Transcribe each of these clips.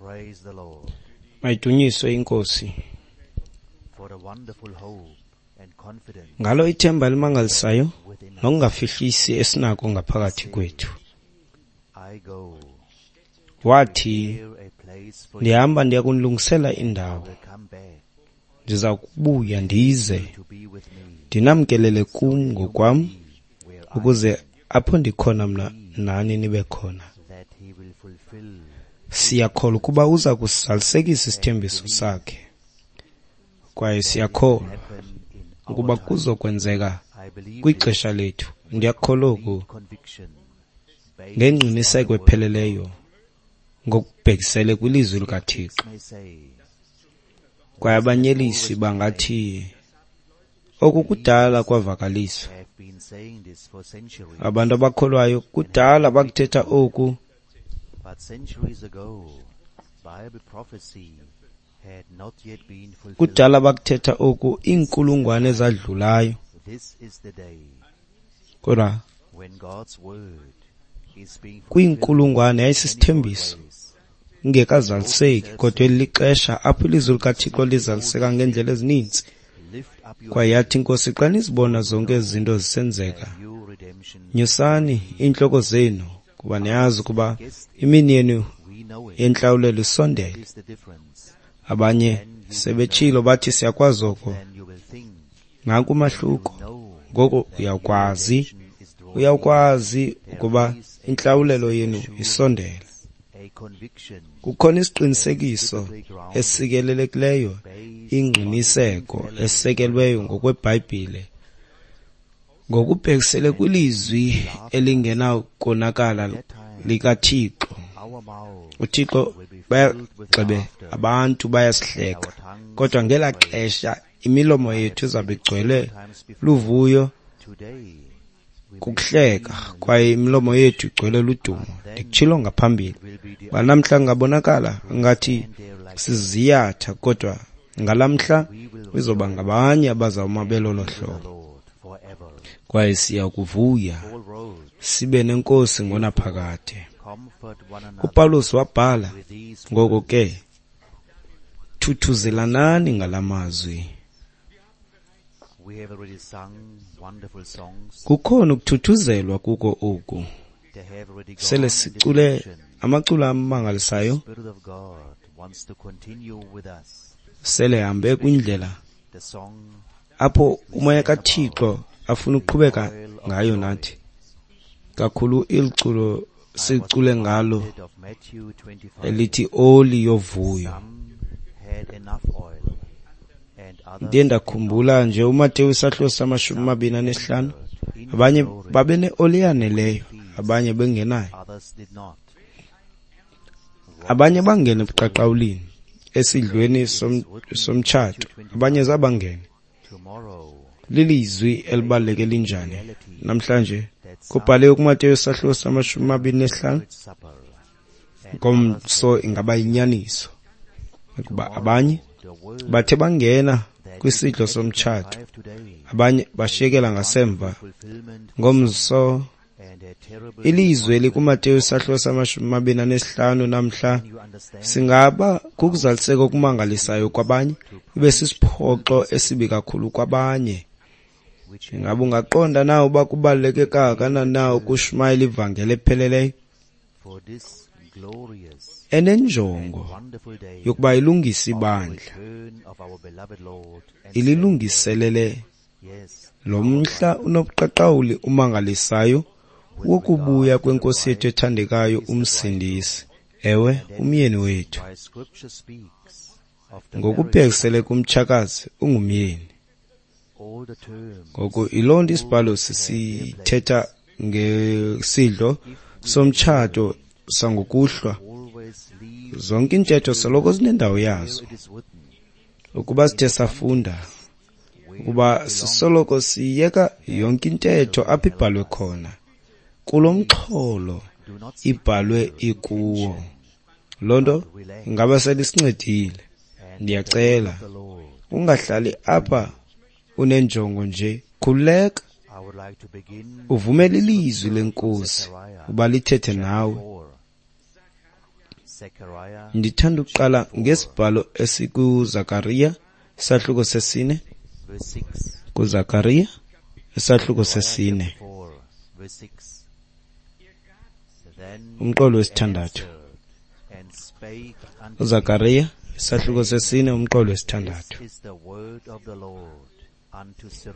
Praise the Lord Mayidunyiswe iNkosi for the wonderful hope and confidence ngalo ithemba elimangalisayo within us. nokungafihlisi esinako ngaphakathi kwethu. I go Wathi, prepare a place for you. ndihamba ndiya kunilungisela indawo, Will come back ndiza kubuya ndize to be with me ndinamkelele kum ngokwam, where I ukuze apho ndikhona mna nani nibe khona. that he will fulfill Siyakholwa ukuba uza kusizalisekisa isithembiso sakhe, kwaye siyakholwa happen in our ukuba time. kuzokwenzeka I believe this kwixesha lethu. Ndiyakholwa oku conviction based on ngengqiniseko the word epheleleyo ngokubhekisele kwilizwi likaThixo. may say Kwaye abanyelisi bangathi oku kudala kwavakaliswa. have been saying this for centuries, Abantu abakholwayo kudala bakuthetha oku, but centuries ago Bible prophecy had not yet been fulfilled. kudala bakuthetha oku iinkulungwane ezadlulayo, This is the day kodwa when God's word is being fulfilled kwiinkulungwane yayisisithembiso ways. ingekazaliseki, kodwa eli lixesha apho ilizwi likaThixo lizaliseka ngeendlela ezininzi. Lift up your Kwaye yathi iNkosi, xa nizibona zonke ezi zinto zisenzeka, new redemption. nyusani iintloko zenu, kuba niyazi ukuba imini yenu We know it yentlawulelo isondele. is the difference. Abanye sebetshilo bathi siyakwazi oko. Then you will think Nanku umahluko. know Ngoko uyakwazi, is drawing uyakwazi ukuba intlawulelo yenu isondele. a conviction Kukhona isiqinisekiso esikelelekileyo, ingqiniseko esekelweyo ngokweBhayibhile ngokubhekisele kwilizwi elingenakonakala likaThixo. our mouth uThixo bayagxebe abantu bayasihleka, kodwa ngelaa xesha imilomo yethu izabe igcwele luvuyo today we kukuhleka, kwaye imilomo yethu igcwele ludumo. Ndikutshilo ngaphambili will be the uba namhla kungabonakala ngathi siziyatha, kodwa ngalaa mhla izoba ngabanye abazawuma belolo hlobo, Lord forever. kwaye siya kuvuya Paul wrote, sibe nenkosi ngonaphakade. comfort one another uPawulos wabhala, with these ngoko ke thuthuzelanani ngala mazwi. We have already sung wonderful songs. Kukhona ukuthuthuzelwa kuko oku. They have already gone Sele in this sicule direction. amaculo amangalisayo, Spirit of God wants to continue with us. sele hambe kwindlela The song apho umoya kaThixo afuna ukuqhubeka ngayo nathi. Kakhulu iliculo sicule ngalo of Matthew 25. elithi oli yovuyo. Some had enough oil and others Ndiye ndakhumbula nje uMateyu isahluko sama-25, abanye babe neoli eyaneleyo, abanye bengenayo. others did not. Abanye bangena ebuqaqawulini esidlweni somtshato, abanye zabangena. Tomorrow Lilizwi elibaluleke linjani namhlanje? Kubhaliwe kuMateyu isahluko sama-25, supper ngomso ingaba yinyaniso ukuba abanye the word bathe bangena kwisidlo somtshato, five today abanye bashiyekela ngasemva. fulfillment Ngomso and a terrible ilizwi elikuMateyu isahluko sama-25 namhla you understand singaba kukuzaliseka okumangalisayo kwabanye, ibe sisiphoxo esibi kakhulu kwabanye. which Ingaba ungaqonda na uba kubaluleke kangakanani na ukushumayela ivangeli epheleleyo for this glorious enenjongo wonderful day yokuba ilungise ibandla, return of our beloved Lord and ililungiselele yes lo mhla unobuqaqawuli umangalisayo wokubuya kweNkosi yethu ethandekayo uMsindisi, ewe, umyeni wethu. why scripture speaks of the Ngokubhekisele kumtshakazi ungumyeni. all the terms Ngoku yiloo nto isibhalo sisithetha ngesidlo somtshato sangokuhlwa. always leave Zonke iintetho soloko zinendawo yazo. it is written Ukuba sithe safunda ukuba sisoloko siyeka yonke intetho apho ibhalwe khona, kulo mxholo do not ibhalwe ikuwo. Loo nto ingaba selisincedile. Ndiyacela the Lord ungahlali apha unenjongo nje, khululeka, I would like to begin uvumele ilizwi lenkosi uba lithethe nawe. 4. Ndithanda ukuqala ngesibhalo esikuZakariya, isahluko sesine. KuZakariya, isahluko sesine, umqolo wesithandathu. UZakariya, isahluko sesine, umqolo wesithandathu.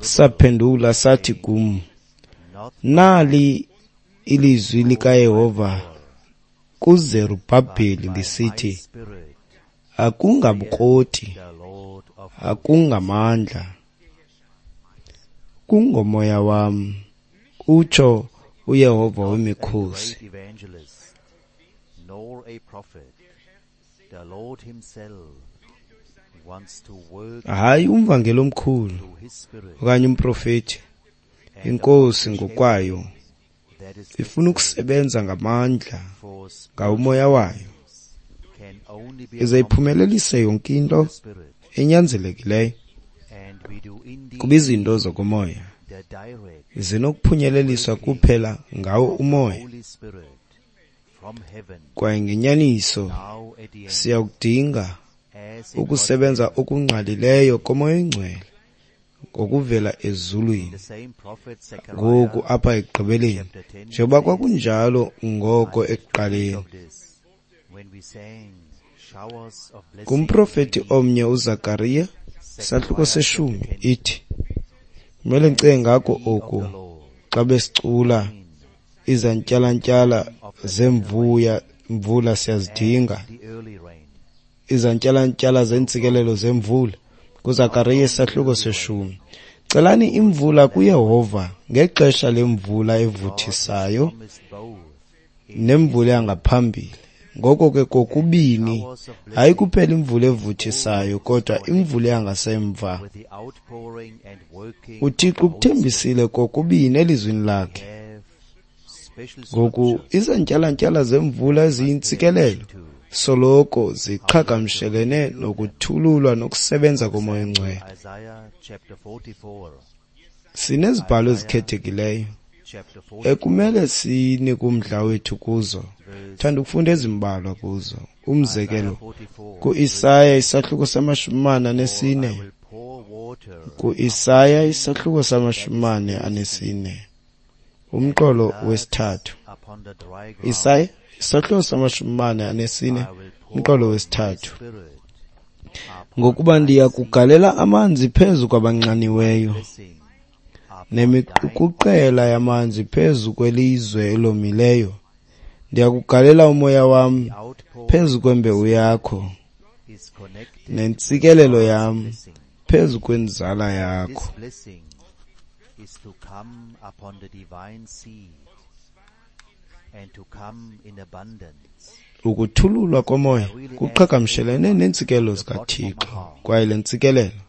Saphendula sathi kum, nali ilizwi likaYehova kuZerubhabheli lisithi, akungabukroti, akungamandla, kungomoya wam, utsho uYehova wemikhosi. Hayi umvangeli omkhulu okanye umprofeti, iNkosi ngokwayo ifuna ukusebenza ngamandla ngawumoya wayo, ize iphumelelise yonke into enyanzelekileyo, kuba izinto zokomoya zinokuphunyeleliswa kuphela ngawo umoya. Kwaye ngenyaniso siyakudinga ukusebenza okungqalileyo komoya oyingcwele ngokuvela ezulwini ngoku apha ekugqibeleni, njengoba kwakunjalo ngoko ekuqaleni. Kumprofeti omnye uZakariya, isahluko seshumi, ithi, kumele ndicinge ngako oku xa besicula izantyalantyala zemvuya mvula siyazidinga, izantyalantyala zentsikelelo zemvula. KuZakariya isahluko seshumi, celani imvula kuYehova ngexesha lemvula evuthisayo nemvula yangaphambili. Ngoko ke kokubini, hayi kuphela imvula evuthisayo kodwa imvula yangasemva. UThixo ukuthembisile kokubini elizwini lakhe. Ngoku izantyalantyala zemvula eziyintsikelelo soloko ziqhagamshelene nokuthululwa nokusebenza komoya oyingcwele. Sinezibhalo ezikhethekileyo ekumele sinike umdla wethu kuzo. Thanda ukufunda ezimbalwa kuzo. Umzekelo, kuIsaya isahluko sama-44. KuIsaya isahluko sama-44, umqolo wesithathu. Isaya isahluko sama-44, umqolo wesithathu. Ngokuba ndiya kugalela amanzi phezu kwabanxaniweyo, nemiqukuqela yamanzi phezu kwelizwe elomileyo. Ndiya kugalela umoya wam phezu kwembewu yakho, nentsikelelo yam phezu kwenzala yakho. Ukuthululwa komoya kuqhagamshelene neentsikelelo zikaThixo, kwaye le ntsikelelo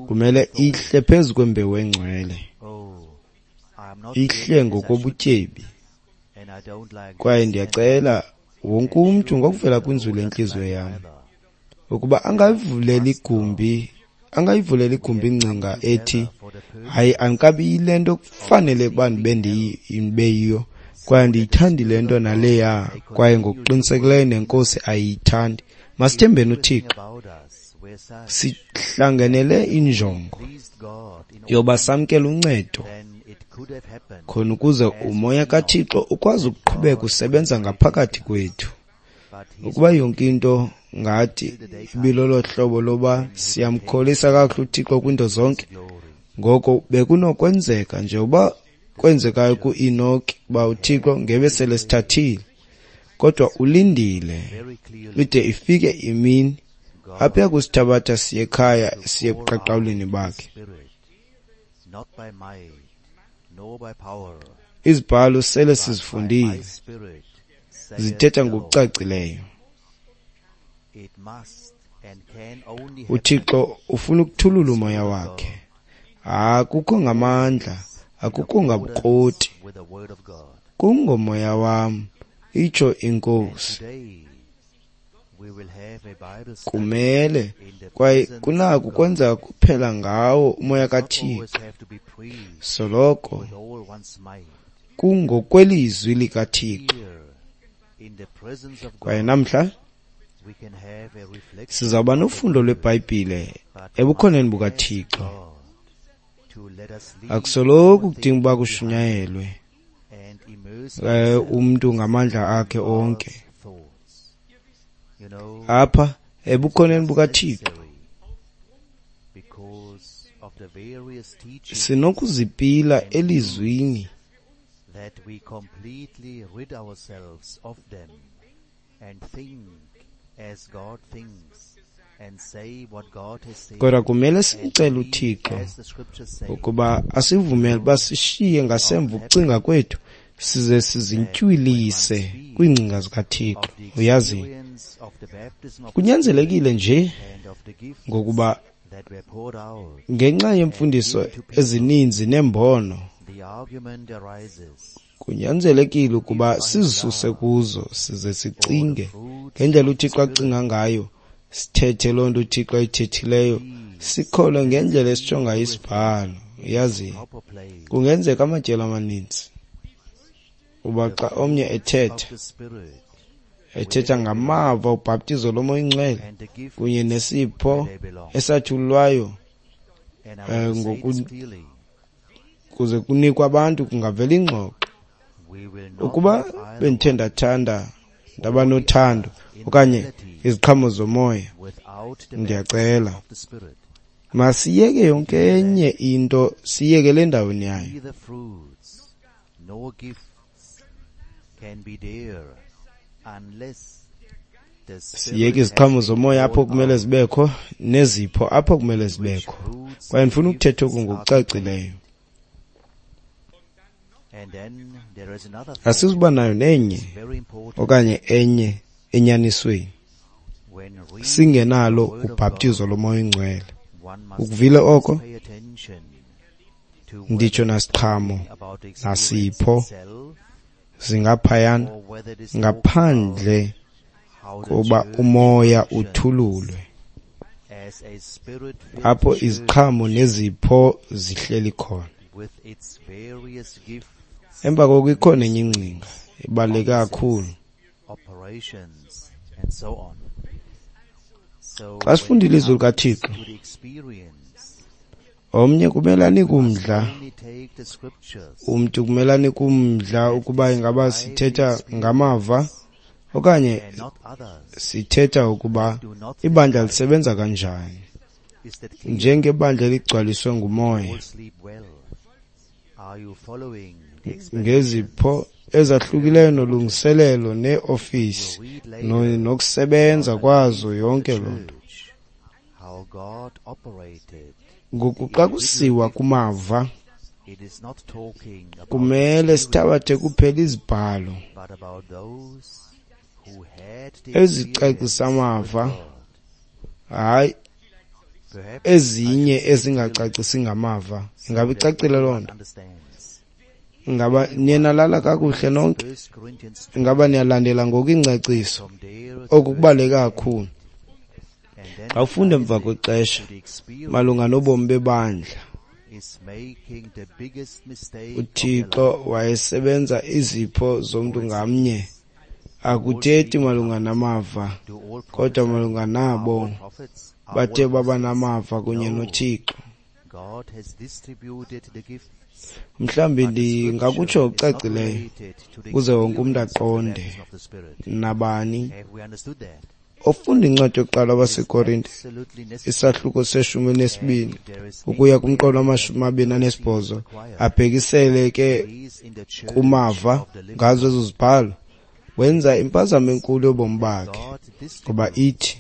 kumele ihle phezu kwembewu engcwele, ihle ngokobutyebi. Kwaye ndiyacela wonke umntu ngokuvela kwinzulu yentliziyo yam ukuba angayivuleli igumbi, angayivuleli igumbi ingcinga ethi hayi andikabi yile nto kufanele uba ndibe ndibeyiyo, kwaye andiyithandi le nto naleya, kwaye ngokuqinisekileyo neNkosi ayiyithandi. Masithembeni uThixo, sihlangenele injongo yoba samkele uncedo khona ukuze umoya kaThixo ukwazi ukuqhubeka usebenza ngaphakathi kwethu. Ukuba yonke into ngathi ibilolo hlobo loba siyamkholisa kakuhle uThixo kwiinto zonke, ngoko bekunokwenzeka njengoba kwenzekayo kuEnoki uba uThixo ngebe sele sithathile, kodwa ulindile ide ifike imini apho uyakusithabatha siye ekhaya, siye ebuqaqawulini bakhe. Izibhalo sele sizifundile, zithetha ngokucacileyo. uThixo ufuna ukuthulula umoya wakhe. Akukho ngamandla, akukho ngabukroti, kungomoya wam, itsho iNkosi. Kumele kwaye kunako kwenzeka kuphela ngawo umoya kaThixo, soloko kungokwelizwi likaThixo. Kwaye namhla sizawuba nofundo lweBhayibhile ebukhoneni bukaThixo. Akusoloko kudinga uba kushunyayelwe umntu ngamandla akhe onke. Apha ebukhoneni bukaThixo sinokuzipila elizwini kodwa kumele simcele uThixo ukuba asivumele uba sishiye ngasemva ukucinga kwethu size sizintywilise kwiingcinga zikaThixo. Uyazi, kunyanzelekile nje ngokuba ngenxa yemfundiso ezininzi nembono kunyanzelekile ukuba sizisuse kuzo size sicinge ngendlela uThixo acinga ngayo, sithethe loo nto uThixo ayithethileyo, sikholwe ngendlela esitsho ngayo isibhalo. Uyazi, kungenzeka amatyeli amaninzi uba xa omnye ethetha ngamava ubhaptizo loMoya oyiNgcwele kunye nesipho esathululwayo kuze kunikwe abantu, kungavela ingxoxo. Ukuba bendithe ndathanda ndaba nothando okanye iziqhamo zomoya, ndiyacela masiyeke yonke enye into, siyeke le ndaweni yayo. Siyeke iziqhamo zomoya apho kumele zibekho nezipho apho kumele zibekho. Kwaye ndifuna ukuthetha oku ngokucacileyo. Asizuba nayo nenye okanye enye enyanisweni singenalo ubhaptizo loMoya oyiNgcwele. Ukuvile oko? Nditsho nasiqhamo nasipho zingaphayana ngaphandle kuba umoya uthululwe apho iziqhamo nezipho zihleli khona. Emva koko ikhona enye ingcinga ebaluleke kakhulu. Xa sifunda ilizwi likaThixo, omnye kumele anike umdla, umntu kumele anike umdla ukuba ingaba sithetha ngamava okanye sithetha ukuba ibandla lisebenza kanjani njengebandla eligcwaliswe ngumoya ngezipho ezahlukileyo nolungiselelo neeofisi nokusebenza kwazo yonke loo nto. Ngoku xa kusiwa kumava, kumele sithabathe kuphela izibhalo ezicacisa amava, hayi ezinye ezingacacisi ngamava. Ingaba icacile loo nto? Ingaba niye nalala kakuhle nonke? Ingaba niyalandela ngoku ingcaciso? Oku kubaluleke kakhulu. Xa ufunda emva kwexesha malunga nobomi bebandla, uThixo wayesebenza izipho zomntu ngamnye. Akuthethi malunga namava, kodwa malunga nabo bathe baba namava kunye noThixo. Mhlawumbi ndingakutsho okucacileyo ukuze wonke umntu aqonde. Nabani ofunda incwadi yokuqala waseKorinte isahluko se-12 ukuya kumqolo wama-28 abhekisele ke kumava ngazo ezo zibhalo, wenza impazamo enkulu yobomi bakhe, ngoba ithi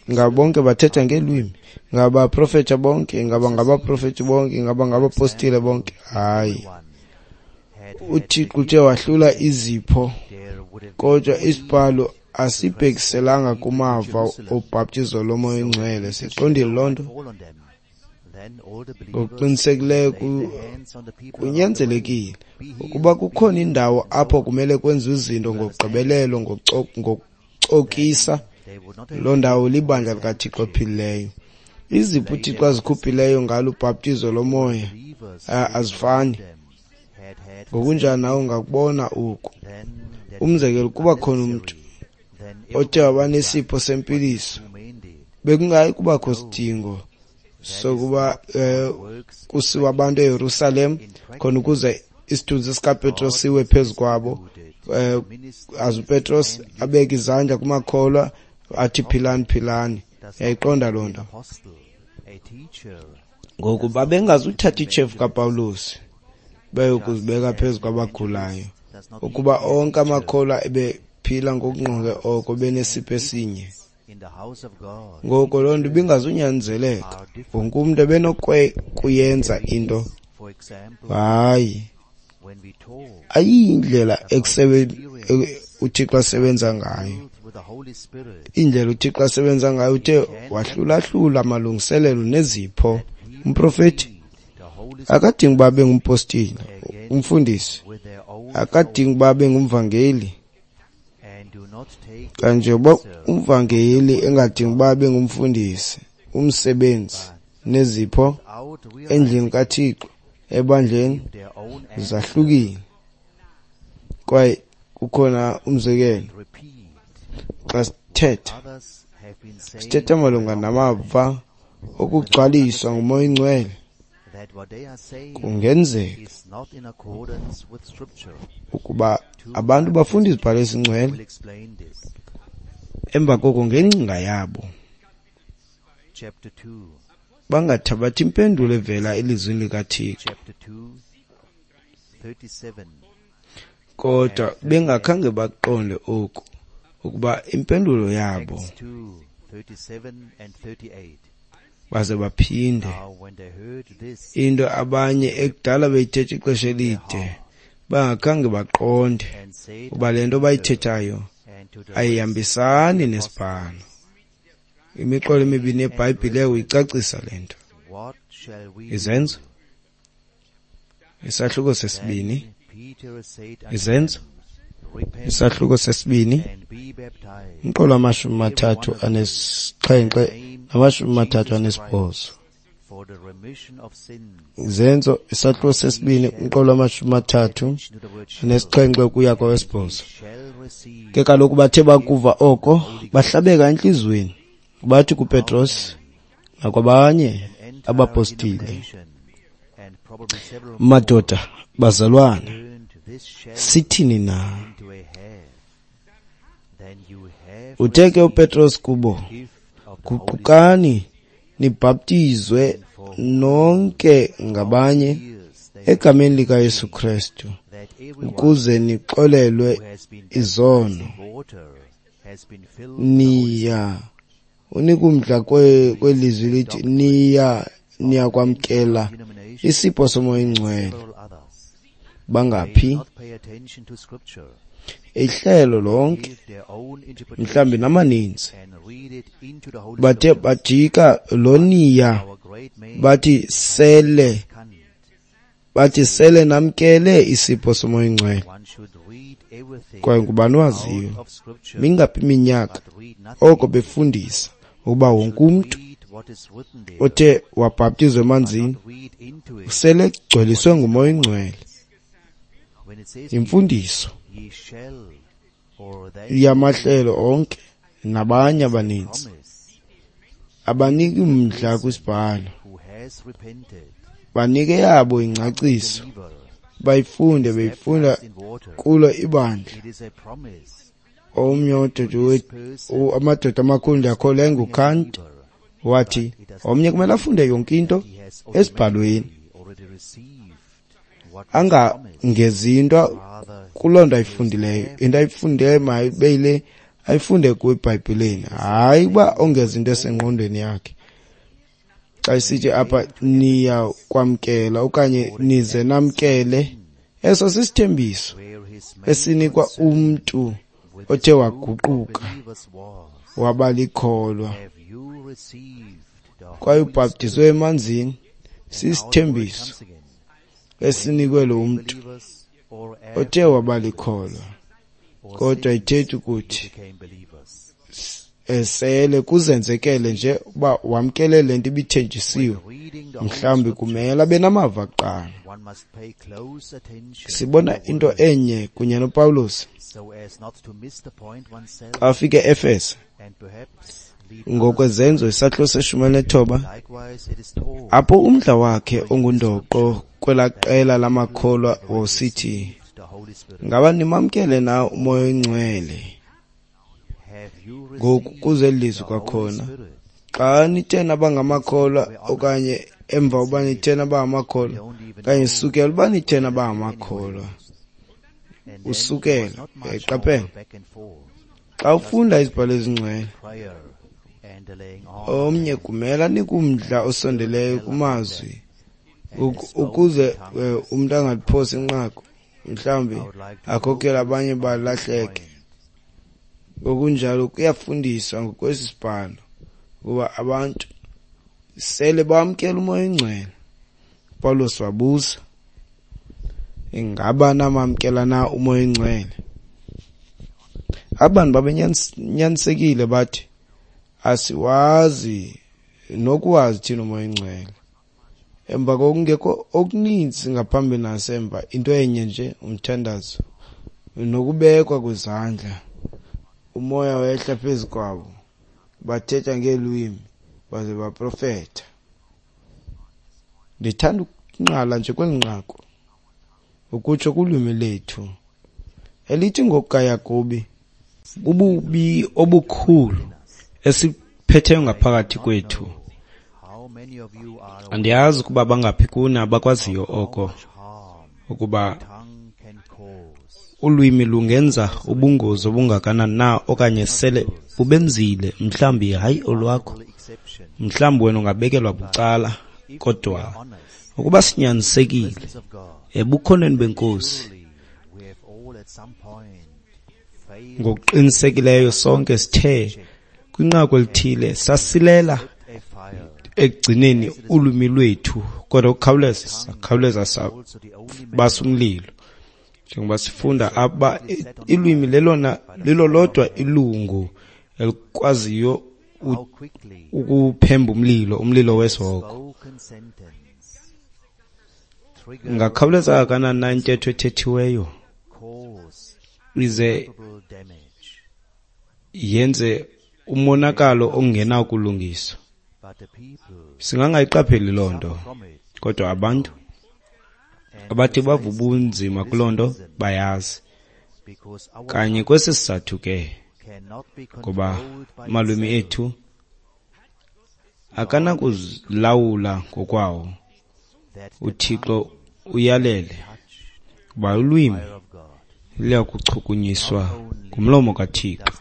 ingaba bonke bathetha ngeelwimi, ingaba baprofetha bonke, ingaba ngabaprofethi bonke, ingaba ngabapostile bonke. Hayi, uThixo uthe wahlula izipho, kodwa isibhalo asibhekiselanga kumava obhaptizo loMoya oyiNgcwele. Siqondile loo nto? Ngokuqinisekileyo kunyanzelekile ukuba kukhona indawo apho kumele kwenziwe izinto ngokugqibelelo, ngokucokisa. Loo ndawo libandla likaThixo ophilileyo. Izipho uThixo azikhuphileyo ngalo ubhaptizo lomoya azifani. Ngokunjani nawe ungakubona oku. Umzekelo, kuba khona umntu othe wabanesipho sempiliso, bekungayi kubakho sidingo sokuba kusiwa abantu eYerusalem khona ukuze isithunzi sikaPetros siwe phezu kwabo, aze uPetros abeke izandla kumakholwa athi philani philani. Yayiqonda loo nto. Ngoku babengazuthatha itshefu kaPawulos beyokuzibeka phezu kwabagulayo, ukuba onke amakholwa ebephila ngokungqonge oko benesipho esinye. Ngoko loo nto ibingazunyanzeleka, wonke umntu ebenokuyenza into. Hayi, ayiyindlela uThixo asebenza ngayo. Indlela uThixo asebenza ngayo, uthe wahlulahlula amalungiselelo nezipho. Umprofeti akadingi uba abe ngumpostile, umfundisi akadingi uba abe ngumvangeli, kanje uba umvangeli engadingi uba abe ngumfundisi. Umsebenzi nezipho endlini kaThixo ebandleni zahlukile. Kwaye kukhona umzekelo, xa sithetha malunga namava okugcwaliswa nguMoya oyiNgcwele, kungenzeka ukuba abantu bafunda izibhalo ezingcwele emva koko ngengcinga yabo bangathabathi impendulo evela elizwini likaThixo, kodwa bengakhange baqonde oku, ukuba impendulo yabo baze baphinde into abanye ekudala beyithetha ixesha elide bangakhange baqonde uba le nto bayithethayo ayihambisani nesibhalo. Imiqolo emibini yeBhayibhile uyicacisa le nto. Izenzo, isahluko sesibini. Izenzo, isahluko sesibini, umqolo 37 na-38. Izenzo, isahluko sesibini, umqolo 37 ukuya kowesibhozo. Ke kaloku bathe bakuva oko, bahlabeka entliziyweni, bathi kuPetros nakwabanye abapostile, madoda, bazalwana, sithini na? Uthe ke uPetros kubo, guqukani nibhaptizwe nonke ngabanye egameni likaYesu Kristu ukuze nixolelwe izono. Niya unikumdla kwelizwi lithi niyakwamkela isipho soMoya oyiNgcwele. Bangaphi? Ihlelo lonke, mhlawumbi namaninzi, bathe bajika lo niya bathi sele namkele isipho soMoya oyiNgcwele. Kwaye ngubani waziyo mingaphi iminyaka oko befundisa ukuba wonke umntu othe wabhaptizwa emanzini usele egcweliswe nguMoya oyiNgcwele. Imfundiso yamahlelo onke nabanye abaninzi abaniki mdla kwisibhalo, banike yabo ingcaciso, bayifunde beyifunda kulo ibandla. Omnye amadoda amakhulu ndiyakholwa enguKant, wathi omnye kumele afunde yonke into esibhalweni, angangezi into kuloo nto ayifundileyo. Into ayifundileyo mayibe yile ayifunde kwiBhayibhileni, hayi uba ongeza into esengqondweni yakhe. Xa isithi apha niyakwamkela okanye nize namkele, eso sisithembiso esinikwa umntu othe waguquka waba likholwa kwaye ubhaptizwe emanzini. Sisithembiso esinikwe lo mntu othe waba likholwa, kodwa ithethi ukuthi esele kuzenzekele nje uba wamkele le nto ibithenjisiwe. Mhlawumbi kumele abe namava kuqala. Sibona into enye kunye noPawulos xa afike e-Efese ngokwezenzo isahluko se-19, apho umdla wakhe ongundoqo kwelaa qela lamakholwa wawusithi, ngaba nimamkele na uMoya oyiNgcwele? Ngoku kuze eli lizwi kwakhona, xa nithe naba ngamakholwa okanye emva uba nithe naba ngamakholwa okanye sukela uba nithe naba ngamakholwa, usukela. Uyayiqaphela? Xa ufunda izibhalo ezingcwele, omnye kumele anike umdla osondeleyo kumazwi ukuze umntu angaliphosi inqaku, mhlawumbi akhokhele abanye balahleke. Ngokunjalo kuyafundiswa ngokwesi sibhalo ukuba abantu sele bamkela uMoya oyiNgcwele. uPawulos wabuza, ingaba namamkela na uMoya oyiNgcwele? Abantu babenyanisekile bathi, asiwazi nokuwazi thina uMoya oyiNgcwele. Emva kokungekho okuninzi ngaphambili nasemva, into enye nje, umthandazo nokubekwa kwezandla, umoya wehla phezu kwabo, bathetha ngeelwimi baze baprofetha. Ndithanda ukunqala nje kweli nqaku, ukutsho kulwimi lethu elithi ngokukaYakobi, bububi obukhulu esiphetheyo ngaphakathi kwethu. Andiyazi ukuba bangaphi kuni abakwaziyo oko, ukuba ulwimi lungenza ubungozi obungakanani na okanye sele bubenzile, mhlawumbi hayi olwakho, mhlawumbi wena ungabekelwa bucala, kodwa ukuba sinyanisekile ebukhoneni beNkosi, ngokuqinisekileyo sonke sithe kwinqaku elithile sasilela ekugcineni ulwimi lwethu, kodwa ukukhawuleza sakhawuleza sabasa umlilo. Njengoba sifunda apha, ilwimi lelona lilolodwa ilungu elikwaziyo ukuphemba umlilo, umlilo wesihogo. Ingakhawuleza kangakanani na intetho ethethiweyo ize yenze umonakalo ongenakulungiswa? Singangayiqapheli loo nto, kodwa abantu abathi bava ubunzima kuloo nto bayazi. Kanye kwesi sizathu ke, ngoba amalwimi ethu akanakuzilawula ngokwawo, uThixo uyalele uba ulwimi luyakuchukunyiswa ngumlomo kaThixo.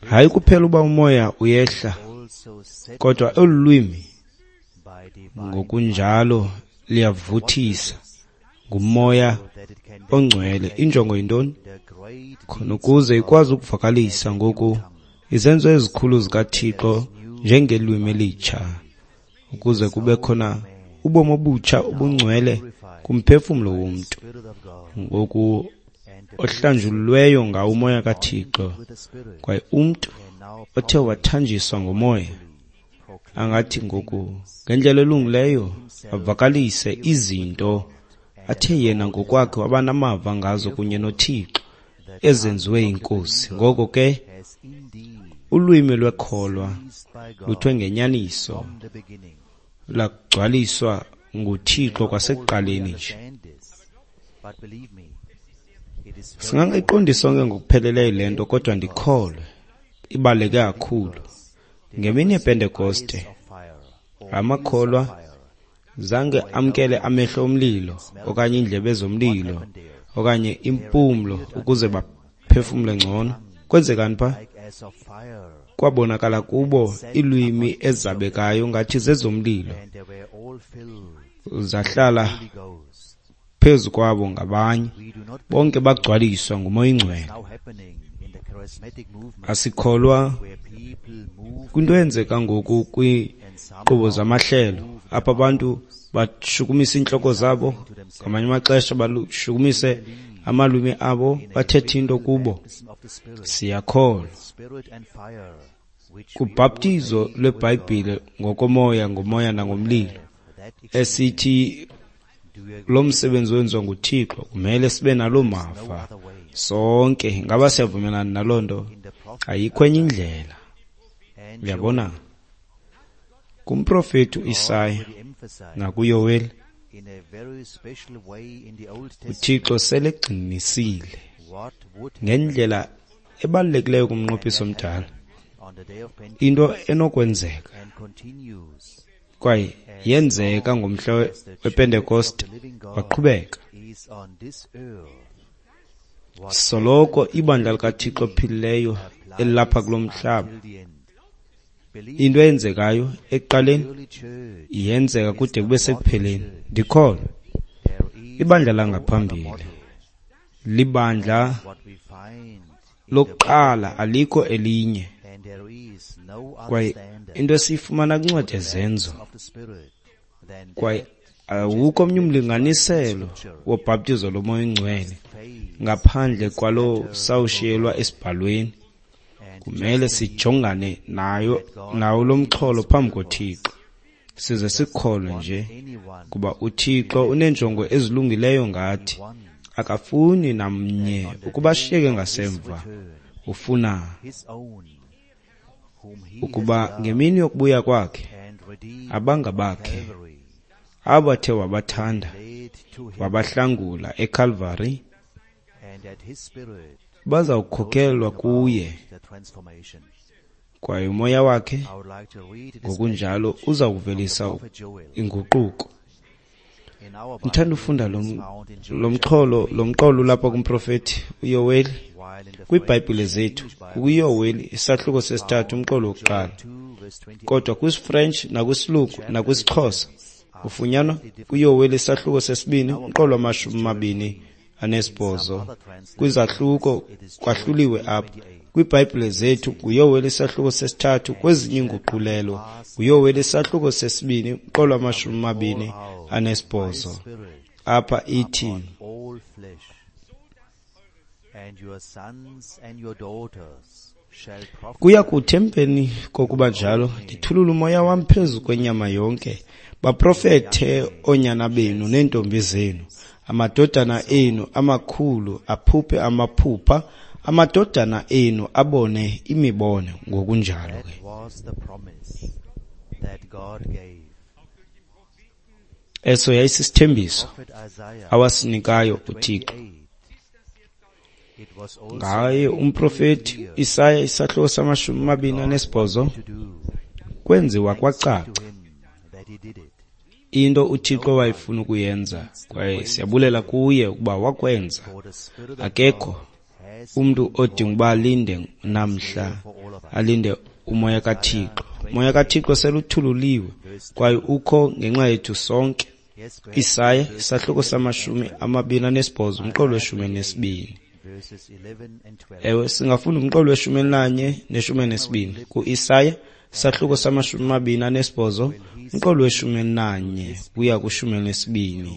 Hayi kuphela uba umoya uyehla, kodwa olu lwimi ngokunjalo liyavuthisa ngumoya ongcwele. Injongo yintoni? Khona ukuze ikwazi ukuvakalisa ngoku izenzo ezikhulu zikaThixo njengelwimi elitsha, ukuze kube khona ubomi obutsha obungcwele kumphefumlo womntu ngoku ohlanjululweyo ngawo umoya kaThixo. Kwaye umntu othe wathanjiswa ngomoya angathi ngoku ngendlela elungileyo avakalise izinto athe yena ngokwakhe waba namava ngazo kunye noThixo ezenziwe yiNkosi. Ngoko ke ulwimi lwekholwa luthwe ngenyaniso lagcwaliswa nguThixo kwasekuqaleni nje. Singangayiqondi sonke ngokupheleleyo le nto, kodwa ndikholwe ibaluleke kakhulu. Ngemini yePentekoste amakholwa zange amkele amehlo omlilo okanye iindlebe zomlilo okanye impumlo ukuze baphefumle ngcono. Kwenzekani pha? Kwabonakala kubo iilwimi ezabekayo ngathi zezomlilo, zahlala phezu kwabo ngabanye, bonke bagcwaliswa nguMoya oyiNgcwele. Asikholwa kwinto eyenzeka ngoku kwiinkqubo zamahlelo, apho abantu bashukumisa iintloko zabo, ngamanye amaxesha bashukumise amalwimi abo, bathethe into kubo. Siyakholwa kubhaptizo lweBhayibhile ngokomoya, ngomoya nangomlilo, Esithi lo msebenzi wenziwa nguThixo, kumele sibe naloo mava sonke. Ngaba siyavumelana naloo nto? Ayikho enye indlela. Uyabona, kumprofeti uIsaya nakuYoweli, uThixo selegxinisile ngendlela ebalulekileyo kumnqophiso omdala into enokwenzeka, kwaye yenzeka ngomhla wePentekoste, waqhubeka. Soloko ibandla likaThixo ophilileyo elilapha kulo mhlaba, into eyenzekayo ekuqaleni yenzeka kude kube sekupheleni. Ndikholwa ibandla langaphambili libandla lokuqala, alikho elinye. Kwaye into esiyifumana kwincwadi yeZenzo, kwaye awukho omnye umlinganiselo wobhaptizo loMoya oNgcwele ngaphandle kwalo sawushiyelwa esibhalweni. Kumele sijongane nayo nawo lo mxholo phambi koThixo, size sikholwe nje kuba uThixo uneenjongo ezilungileyo ngathi. Akafuni namnye ukuba ashiyeke ngasemva. Ufuna ukuba ngemini yokubuya kwakhe abangabakhe abathe wabathanda wabahlangula eCalvary bazawukhokelwa kuye, kwaye umoya wakhe ngokunjalo uza kuvelisa inguquko. Ndithanda ufunda lo mxholo, lo mqolo ulapha kumprofeti uYoweli kwiiBhayibhile zethu, kuYoweli isahluko sesithathu umqolo wokuqala. Kodwa kwisiFrench nakwisilungu nakwisixhosa ufunyanwa kuYoweli isahluko sesibini umqolo wama-28. Kwizahluko kwahluliwe apha. KwiiBhayibhile zethu nguYoweli isahluko sesithathu, kwezinye iinguqulelo nguYoweli isahluko sesibini umqolo wama-28. Apha ithi, kuya kuthi emveni kokuba njalo ndithulule umoya wam phezu kwenyama yonke, baprofethe oonyana benu neentombi zenu, amadodana enu amakhulu aphuphe amaphupha, amadodana enu abone imibono. Ngokunjalo ke eso yayisisithembiso awasinikayo uThixo ngaye umprofeti Isaya isahluko sama-28. Kwenziwa kwacaca into uThixo wayefuna ukuyenza, kwaye siyabulela kuye ukuba wakwenza. Akekho umntu odinga uba alinde namhla, alinde umoya kaThixo. Umoya kaThixo seluthululiwe kwaye ukho ngenxa yethu sonke. Isaya isahluko sama-28 umqolo we-12. Ewe, singafunda umqolo we-11 ne-12 ku-Isaya isahluko sama-28 umqolo we-11 kuya ku-12.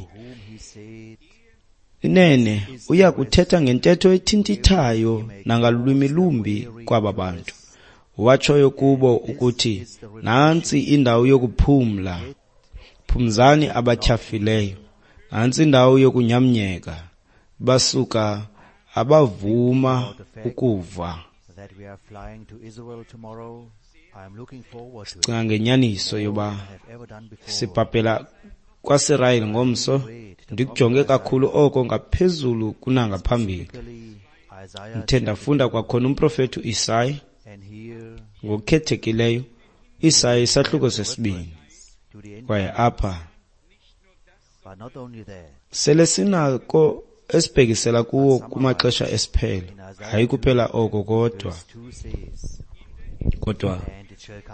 Inene uya kuthetha ngentetho ethintithayo nangalwimi lumbi kwaba bantu, watshoyo kubo ukuthi, nantsi indawo yokuphumla, phumzani abatyhafileyo, nantsi indawo yokunyamnyeka, basuka abavuma ukuva. Sicinga ngenyaniso yoba sibhabhela kwaSirayeli ngomso. Ndikujonge kakhulu oko ngaphezulu kunangaphambili. Ndithe ndafunda kwakhona umprofeti uIsaya, ngokukhethekileyo Isaya isahluko sesibini, kwaye apha sele sinako esibhekisela kuwo kumaxesha esiphelo. Hayi kuphela oko kodwa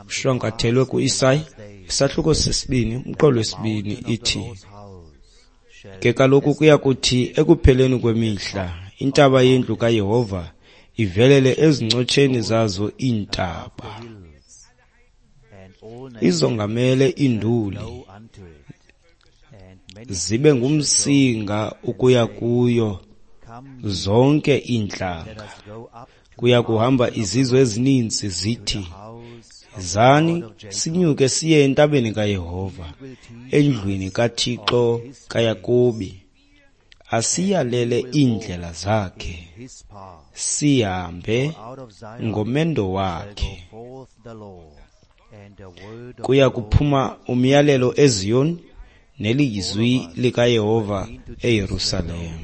ushwankathelwe kuIsaya isahluko sesibini umqolo wesibini ithi, ke kaloku kuya kuthi ekupheleni kwemihla intaba yendlu kaYehova ivelele ezincotsheni zazo iintaba, izongamele iinduli, zibe ngumsinga ukuya kuyo zonke iintlanga. Kuya kuhamba izizwe ezininzi zithi Zani sinyuke siye entabeni kaYehova, endlwini kaThixo kaYakobi, asiyalele iindlela zakhe, sihambe ngomendo wakhe. Kuya kuphuma umyalelo eZiyon nelizwi likaYehova eYerusalem.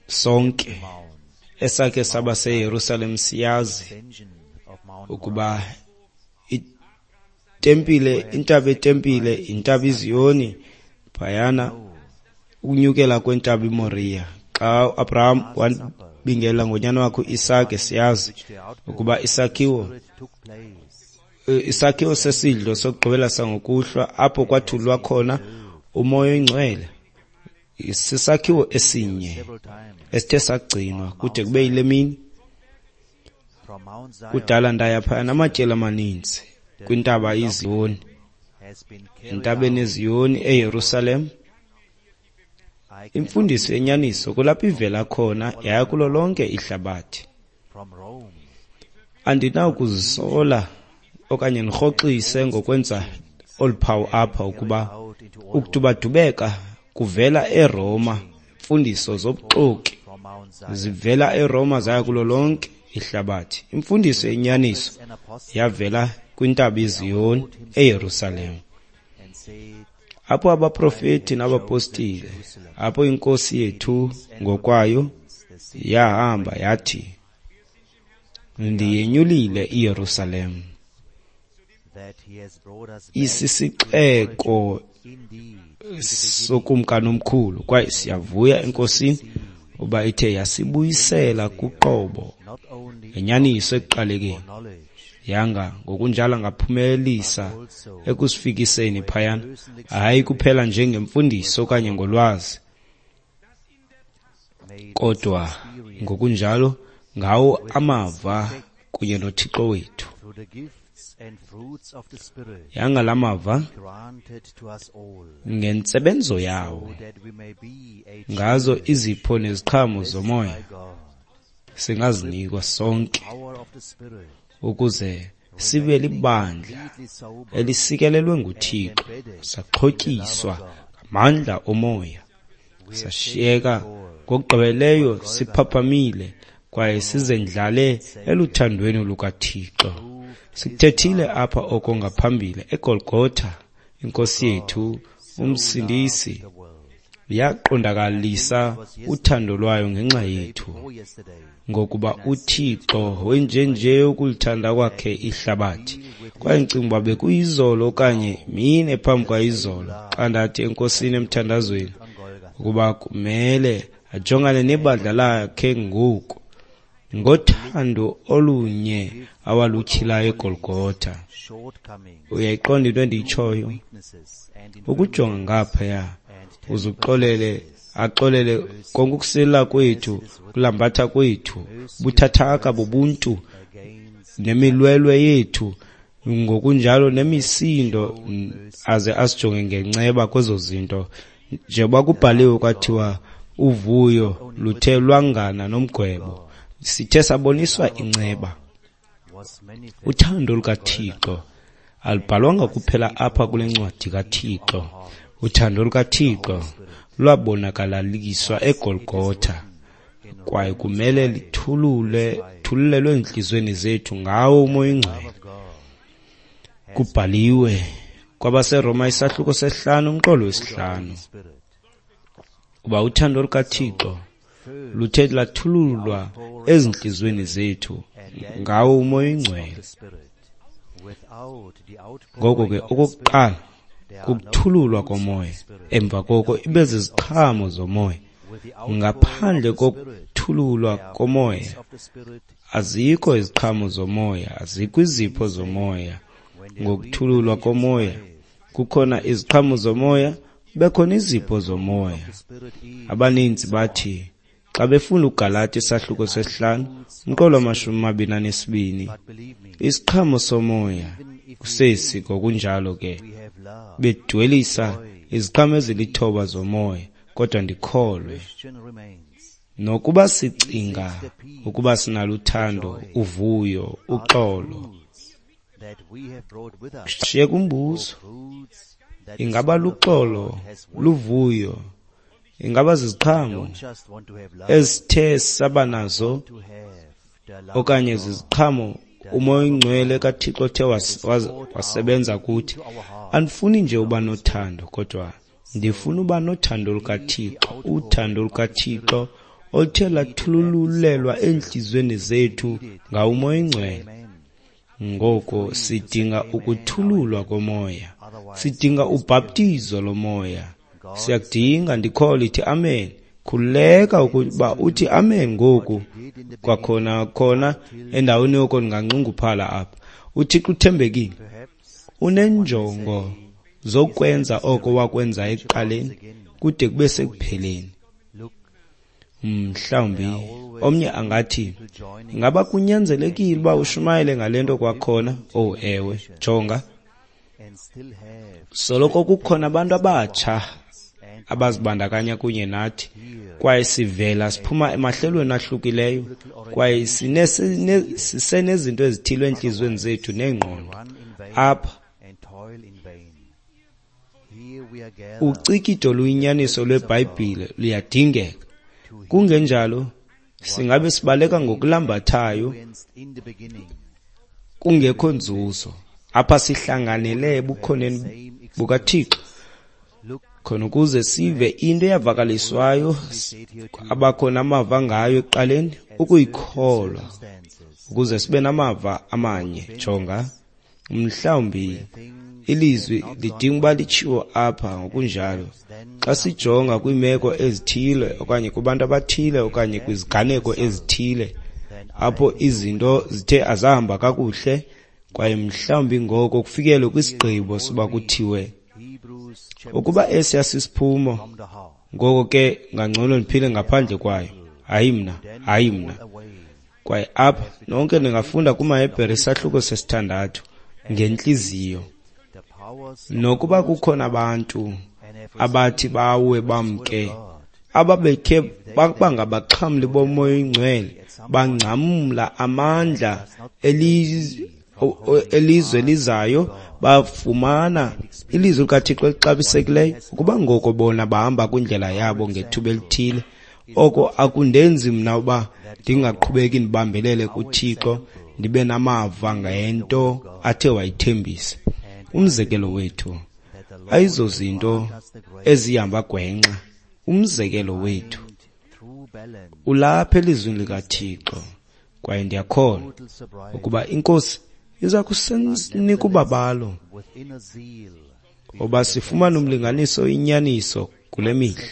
Sonke esakhe saba seYerusalem siyazi ukuba itempile, intaba etempile, intaba iZiyoni phayana ukunyukela kwentaba iMoriya. Xa uAbraham wabingelela ngonyana wakhe uIsake, siyazi ukuba isakhiwo sesidlo sokugqibela sangokuhlwa apho kwathululwa khona uMoya oyiNgcwele, sisakhiwo esinye esithe sagcinwa kude kube yile mini. Kudala ndaya phaya namatyeli amaninzi kwintaba iZiyoni, entabeni eZiyoni eYerusalem. Imfundiso yenyaniso kulapho ivela khona yaya kulo lonke ihlabathi. Andinakuzisola okanye ndirhoxise ngokwenza olu phawu apha ukuba ukudubadubeka kuvela eRoma, imfundiso zobuxoki zivela eRoma zaya kulo lonke ihlabathi. Imfundiso yenyaniso yavela kwintaba iZiyoni eYerusalem, apho abaprofeti nabapostile, apho inkosi yethu ngokwayo yahamba yathi, ndiyenyulile iYerusalem, isisixeko sokumkani omkhulu, kwaye siyavuya enkosini uba ithe yasibuyisela kuqobo ngenyaniso ekuqalekeni, yanga ngokunjalo ngaphumelelisa ekusifikiseni phayana, hayi kuphela njengemfundiso okanye ngolwazi, kodwa ngokunjalo ngawo amava kunye noThixo wethu. Yanga la mava ngentsebenzo yawo, ngazo izipho neziqhamo zomoya singazinikwa sonke ukuze sibe libandla elisikelelwe nguThixo, saxhotyiswa ngamandla omoya, sashiyeka ngokugqibeleleyo siphaphamile kwaye sizendlale eluthandweni lukaThixo. Sikuthethile apha oko ngaphambili eGolgotha, inkosi yethu uMsindisi yaqondakalisa uthando lwayo ngenxa yethu, ngokuba uThixo wenjenje ukulithanda kwakhe ihlabathi. Kwaye ndicinga uba bekuyizolo okanye mine phambi kwayizolo xa ndathi enkosini emthandazweni ukuba kumele ajongane nebandla lakhe ngoku ngothando olunye awalutyhilayo eGolgotha. Uyayiqonda into endiyitshoyo? Ukujonga ngaphaya uzuxolele, axolele konke ukusila kwethu, kulambatha kwethu, buthathaka bobuntu nemilwelwe yethu, ngokunjalo nemisindo, aze asijonge ngenceba kwezo zinto. Njengoba kubhaliwe kwathiwa uvuyo luthe lwangana nomgwebo, sithe saboniswa inceba. Uthando lukaThixo alubhalwanga kuphela apha kule ncwadi kaThixo. Uthando lukaThixo lwabonakalaliswa eGolgotha, kwaye kumele lithululelwe ezintliziyweni zethu ngawo uMoya oyiNgcwele. Kubhaliwe kwabaseRoma isahluko 5 umqolo 5 kuba uthando lukaThixo luthe lathululwa ezintliziyweni zethu ngawo uMoya oyiNgcwele. Ngoko ke okokuqala kukuthululwa komoya, emva koko ibe ziziqhamo zomoya. Ngaphandle kokuthululwa komoya azikho iziqhamo zomoya, azikho izipho zomoya. Ngokuthululwa komoya kukhona iziqhamo zomoya, bekhona izipho zomoya. Abaninzi bathi xa befunda uGalati isahluko 5 umqolo 22, isiqhamo somoya kusesi ngokunjalo ke bedwelisa iziqhamo ezilithoba zomoya, kodwa ndikholwe nokuba sicinga ukuba sinalo uthando, uvuyo, uxolo, Shiyeka umbuzo, ingaba luxolo, luvuyo, ingaba ziziqhamo ezithe saba nazo okanye ziziqhamo uMoya oyiNgcwele kaThixo othe wasebenza kuthi. Andifuni nje uba nothando, kodwa ndifuna uba nothando lukaThixo, uthando lukaThixo oluthe lathululelwa eentliziyweni zethu ngawo uMoya oyiNgcwele. Ngoko sidinga ukuthululwa komoya, sidinga ubhaptizo lomoya, siyakudinga. Ndikholwa ithi amen. Khululeka ukuba uthi amen ngoku kwakhona khona endaweni yoko ndinganxunguphala apha. UThixo uthembekile, unenjongo zokwenza oko wakwenza ekuqaleni kude kube sekupheleni. Mhlawumbi omnye angathi, ingaba kunyanzelekile uba ushumayele ngale nto kwakhona? Oh ewe, jonga, soloko kukhona abantu abatsha abazibandakanya kunye nathi, kwaye sivela siphuma emahlelweni ahlukileyo, kwaye sisenezinto ezithile entliziyweni zethu neengqondo. Apha ucikido luyinyaniso lweBhayibhile luyadingeka. Kungenjalo singabe sibaleka ngokulambathayo kungekho nzuzo. Apha sihlanganele ebukhoneni bukaThixo khona ukuze sive into eyavakaliswayo abakhona amava ngayo ekuqaleni, ukuyikholwa ukuze sibe namava amanye. Jonga, mhlawumbi ilizwi lidinga uba litshiwo apha ngokunjalo. Xa sijonga kwiimeko ezithile okanye kubantu abathile okanye kwiziganeko ezithile apho izinto zithe azahamba kakuhle, kwaye mhlawumbi ngoko kufikelwe kwisigqibo soba kuthiwe ukuba esi asisiphumo, ngoko ke ngangcono ndiphile ngaphandle kwayo. Hayi mna, hayi mna. Kwaye apha nonke ningafunda kumaHebhere isahluko sesithandathu ngentliziyo. Nokuba kukhona abantu abathi bawe bamke, ababekhe bangabaxhamli boMoya oyiNgcwele, bangcamla amandla elizwe lizayo, bafumana ilizwi likaThixo elixabisekileyo, ukuba ngoko bona bahamba kwindlela yabo ngethuba elithile. Oko akundenzi mna uba ndingaqhubeki ndibambelele kuThixo, ndibe namava ngento athe wayithembisa. Umzekelo wethu ayizozinto ezihamba gwenxa. Umzekelo wethu ulapha elizwini likaThixo, kwaye ndiyakholwa ukuba iNkosi iza kusinika ubabalo oba sifumane umlinganiso inyaniso kule mihla,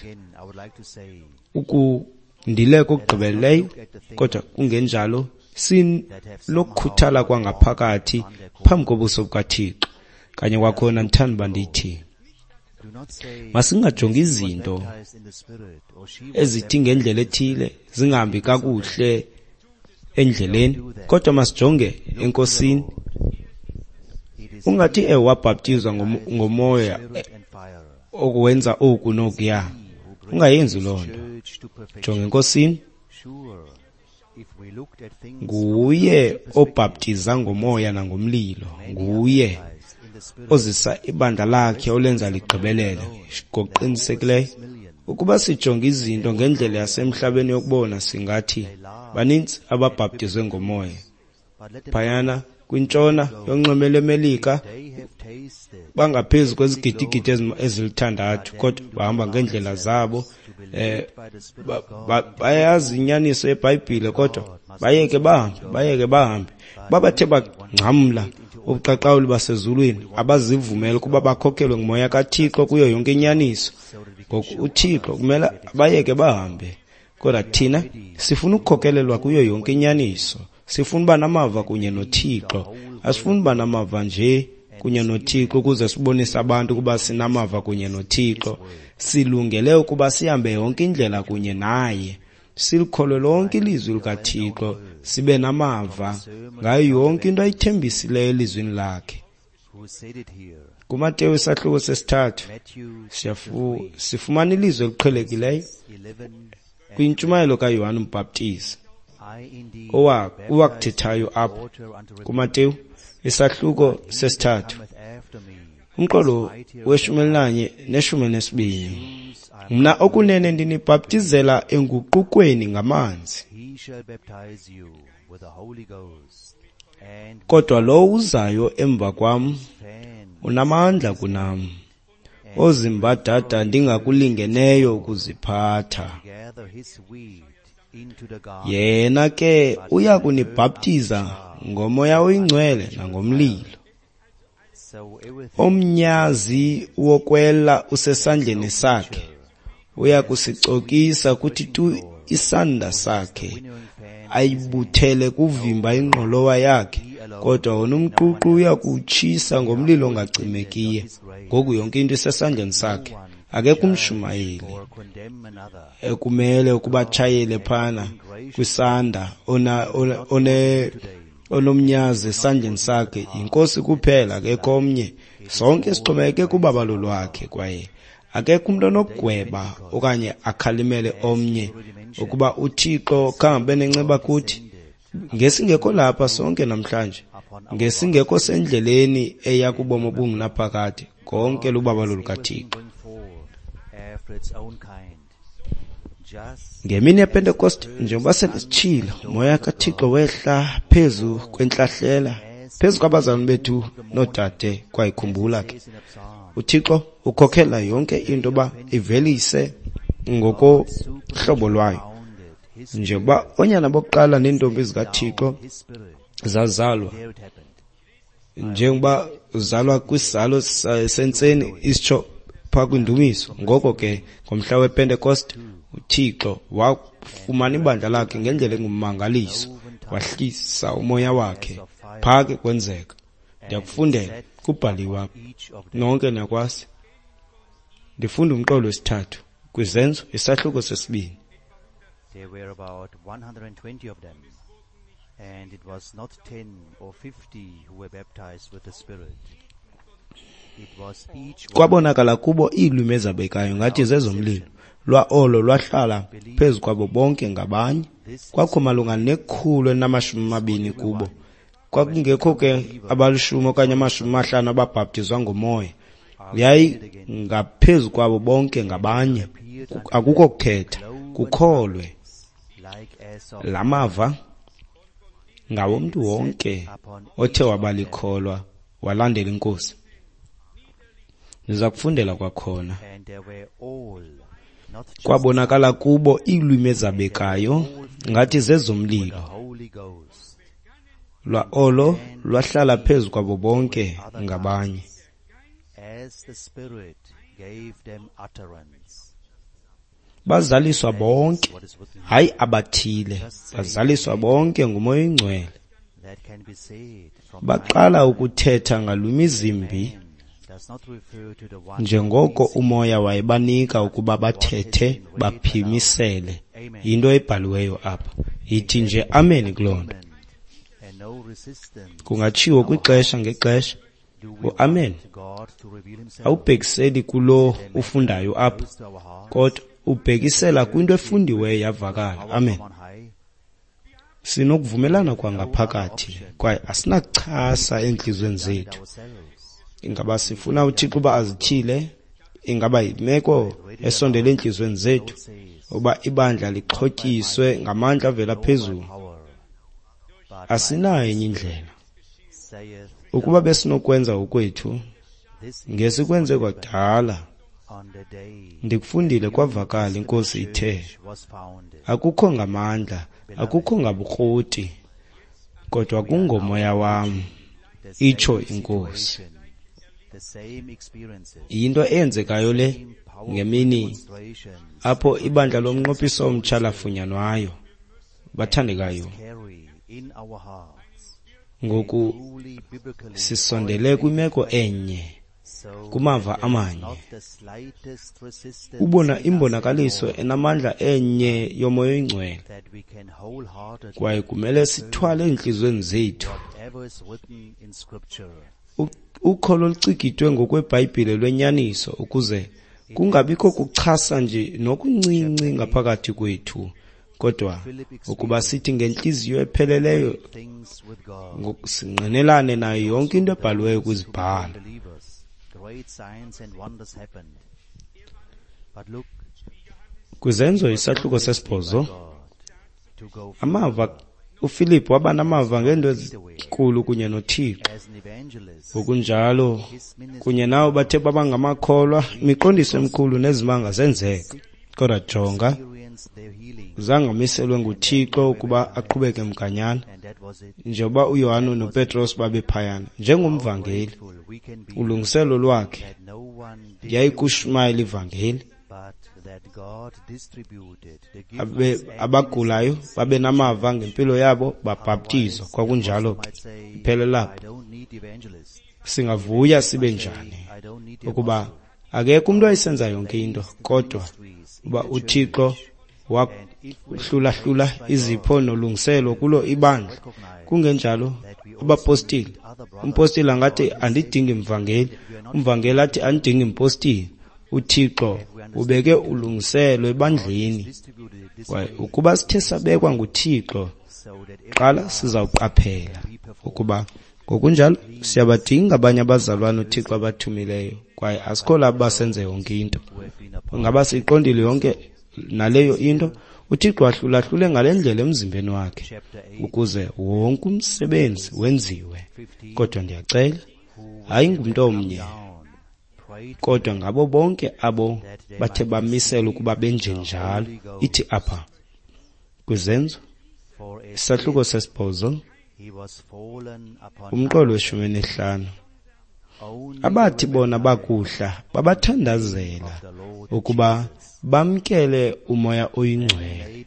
ukundileka okugqibeleleyo, kodwa kungenjalo sinokukhuthala kwangaphakathi phambi kobuso bukaThixo. Kanye kwakhona ndithanda uba ndithi masingajongi izinto ezithi ngendlela ethile zingahambi kakuhle endleleni, kodwa masijonge eNkosini. Ungathi wabhaptizwa ngomoya okwenza oku nokuya, ungayenzi loo nto. Jonga eNkosini. Nguye obhaptiza ngomoya nangomlilo, nguye ozisa ibandla lakhe olenza ligqibelele ngokuqinisekileyo. Ukuba sijonga izinto ngendlela yasemhlabeni yokubona, singathi baninzi ababhaptizwe ngomoya. Phayana kwintshona yonxweme leMelika bangaphezu kwezigidigidi ezilithandathu, kodwa bahamba ngeendlela zabo. Bayazi inyaniso yeBhayibhile, kodwa bayeke bahambe, bayeke bahambe. Babathe bangcamla ubuqaqawuli basezulwini, abazivumela ukuba bakhokhelwe ngumoya kaThixo kuyo yonke inyaniso. Ngoku uThixo kumele bayeke bahambe, kodwa thina sifuna ukukhokelelwa kuyo yonke inyaniso. Sifuna uba namava kunye noThixo. Asifuni uba namava nje kunye noThixo ukuze sibonise abantu ukuba sinamava kunye noThixo. Silungele ukuba sihambe yonke indlela kunye naye, silikholwe lonke ilizwi likaThixo, sibe namava ngayo yonke into ayithembisileyo elizwini lakhe. KuMateyu isahluko sesithathu sifumana ilizwi eliqhelekileyo kwintshumayelo kaYohane uMbhaptizi owakuthethayo apha kuMateyu isahluko sesithathu, umqolo we-11 ne-12. Mna okunene ndinibhaptizela enguqukweni ngamanzi, kodwa lowo uzayo emva kwam unamandla kunam, ozimbadada ndingakulingeneyo ukuziphatha. Yena ke uya kunibhaptiza ngoMoya oyiNgcwele nangomlilo. Omnyazi wokwela usesandleni sakhe, uya kusicokisa kuthi tu isanda sakhe, ayibuthele kuvimba ingqolowa yakhe, kodwa wona umququ uya kuwutshisa ngomlilo ongacimekiyo. Ngoku yonke into isesandleni sakhe. Akekho umshumayeli ekumele ukuba atshayele phana kwisanda onomnyazi esandleni sakhe, yinkosi kuphela, akekho omnye. Sonke sixhomekeke kubabalo lwakhe, kwaye akekho umntu onokugweba okanye akhalimele omnye ukuba uThixo khange nenceba kuthi. Ngesingekho lapha sonke namhlanje, ngesingekho sendleleni eya kubomi obungunaphakade. Konke lubabalo lukaThixo. Ngemini yePentekoste, njengoba sesitshilo, umoya kaThixo wehla phezu kwentlahlela, phezu kwabazalwane bethu noodade. Kwayikhumbula ke, uThixo ukhokhela yonke into uba ivelise ngokohlobo lwayo. Njengoba oonyana bokuqala neentombi zikaThixo zazalwa, njengoba uzalwa kwisizalo sentseni isitsho phaa kwindumiso, ngoko ke ngomhla wePentekoste uThixo wafumana ibandla lakhe ngendlela engummangaliso, wahlisa umoya wakhe. Phaa ke kwenzeka. Ndiyakufundela, kubhaliwe apha, nonke niyakwazi. Ndifunda umqolo wesithathu kwiZenzo isahluko sesibini. There were about 120 of them, and it was not 10 or 50 who were baptized with the Spirit. It was each one. Kwabonakala kubo iilwimi ezabekayo ngathi zezomlilo, lwa olo lwahlala phezu kwabo bonke ngabanye. Kwakho malunga 120 kubo. Kwakungekho ke abalishumi okanye 50 ababhaptizwa ngomoya. Yayingaphezu kwabo bonke ngabanye. Akukho kukhetha, kukholwe. La mava ngawomntu wonke othe wabalikholwa walandela inkosi. Ndiza kufundela kwakhona. Kwabonakala kubo iilwimi ezabekayo ngathi zezomlilo, lwa olo lwahlala phezu kwabo bonke ngabanye. Bazaliswa bonke, hayi abathile, bazaliswa bonke nguMoya oyiNgcwele. Baqala ukuthetha ngalwimi zimbi, njengoko umoya wayebanika ukuba bathethe baphimisele. Yinto ebhaliweyo apha. Yithi nje amen kuloo nto. Kungatshiwo kwixesha ngexesha uamen awubhekiseli kulo ufundayo apha, kodwa ubhekisela kwinto efundiweyo yavakala. Amen. Sinokuvumelana kwangaphakathi kwaye asinakuchasa eentliziyweni zethu. Ingaba sifuna uThixo uba azithile? Ingaba yimeko esondele eentliziyweni zethu uba ibandla lixhotyiswe ngamandla avela phezulu? Asinayo enye indlela. Ukuba besinokwenza okwethu, ngesikwenze kwadala. Ndikufundile kwavakala, inkosi ithe, akukho ngamandla, akukho ngabukroti, kodwa kungomoya wam, itsho inkosi. Yinto eyenzekayo le ngemini apho ibandla lomnqophiso omtsha lafunyanwayo. Bathandekayo, ngoku sisondele kwimeko enye, kumava amanye. Ubona imbonakaliso enamandla enye yoMoya oyiNgcwele, kwaye kumele sithwale eentliziyweni zethu ukholo olucikidwe ngokweBhayibhile lwenyaniso, ukuze kungabikho kuchasa nje nokuncinci ngaphakathi kwethu, Kodwa ukuba sithi ngentliziyo epheleleyo singqinelane nayo yonke into ebhaliweyo kwizibhalo. Kwizenzo isahluko 8, amava uFilip waba namava ngeento ezinkulu kunye noThixo. Ngokunjalo kunye nawo bathe baba ngamakholwa, imiqondiso emikhulu nezimanga zenzeka. Kodwa jonga, zange amiselwe nguThixo ukuba aqhubeke mganyana, njengoba uYohane noPetros babephayana. Njengomvangeli, ulungiselo lwakhe yayikushumayela ivangeli. Abagulayo babe namava ngempilo yabo, babhaptizwa. Kwakunjalo ke, iphelela apho. Singavuya sibe njani ukuba akekho umntu ayisenza yonke into, kodwa uba uThixo wahlulahlula izipho nolungiselo kulo ibandla. Kungenjalo abapostile, umpostile angathi andidingi mvangeli, umvangeli athi andidingi mpostile. uThixo ubeke ulungiselo ebandleni. Kwaye ukuba sithe sabekwa nguThixo, qala sizawuqaphela ukuba ngokunjalo siyabadinga abanye abazalwane uThixo abathumileyo, kwaye asikho labo basenze yonke into. Ngaba siyiqondile yonke naleyo into? uThixo wahlulahlule ngale ndlela emzimbeni wakhe ukuze wonke umsebenzi wenziwe. Kodwa ndiyacela, hayi ngumntu omnye, kodwa ngabo bonke abo bathe bamisela ukuba benjenjalo. Ithi apha kwizenzo isahluko 8, umqolo we-15, abathi bona bakuhla babathandazela ukuba bamkele uMoya oyiNgcwele.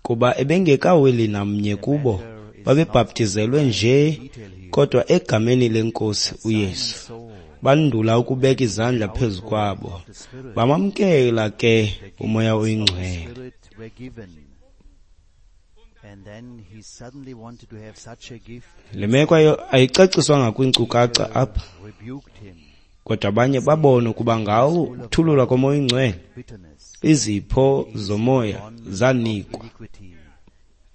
Kuba ebengekaweli namnye kubo, babebhaptizelwe nje kodwa egameni leNkosi uYesu. Bandula ukubeka izandla phezu kwabo, bamamkela ke uMoya oyiNgcwele. Le meko ayicaciswanga kwiinkcukacha apha, kodwa abanye babona ukuba ngawo ukuthululwa koMoya oyiNgcwele, izipho zomoya zanikwa.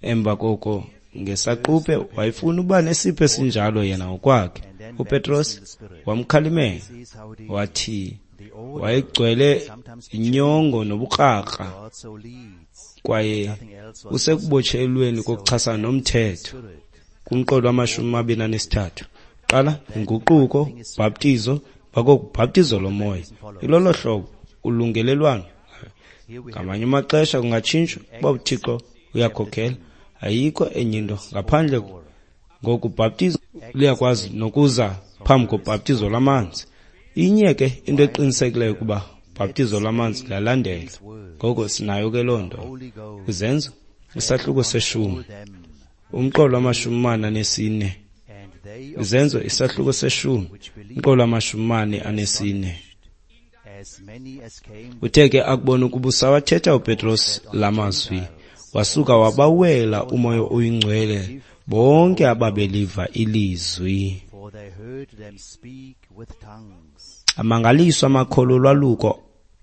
Emva koko ngesaquphe wayefuna uba nesipho esinjalo yena ngokwakhe. uPetros wamkhalimela wathi wayegcwele inyongo nobukrakra, kwaye usekubotshelweni kokuchasana nomthetho. Kumqolo wama-23, qala inguquko, bhaptizo, bakokubhaptizo lomoya. Ilolo hlobo ulungelelwano. Ngamanye amaxesha kungatshintshwa uba uThixo uyakhokhela. Ayikho enye into ngaphandle ngokubhaptizo liyakwazi nokuza phambi kobhaptizo lwamanzi. Inye ke into eqinisekileyo ukuba ubhaptizo lwamanzi luyalandela. Ngoko sinayo ke loo nto. Kwizenzo isahluko 10, umqolo wama-44. Izenzo isahluko 10, umqolo wama-44. Uthe ke akubona ukuba usawathetha uPetros la mazwi, wasuka wabawela uMoya oyiNgcwele bonke ababeliva ilizwi. Amangaliswa amakholo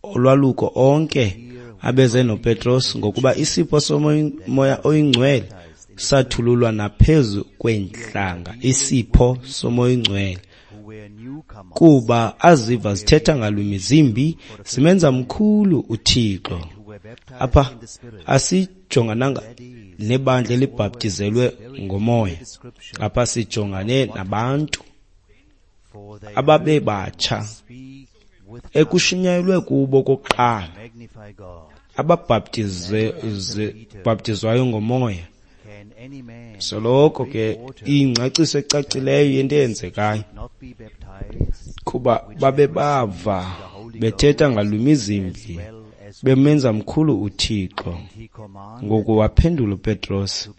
olwaluko onke abeze noPetros, ngokuba isipho soMoya oyiNgcwele sathululwa naphezu kweentlanga, isipho soMoya oyiNgcwele, kuba aziva zithetha ngalwimi zimbi zimenza mkhulu uThixo. Apha asijongananga nebandla elibhaptizelwe ngomoya, apha sijongane nabantu ababebatsha ekushunyayelwe kubo kokuqala, ababhaptizwayo ngomoya. Soloko ke ingcaciso ecacileyo yento eyenzekayo, kuba babebava bethetha ngalwimi zimbi bemenza mkhulu uThixo. Ngoku waphendula uPetros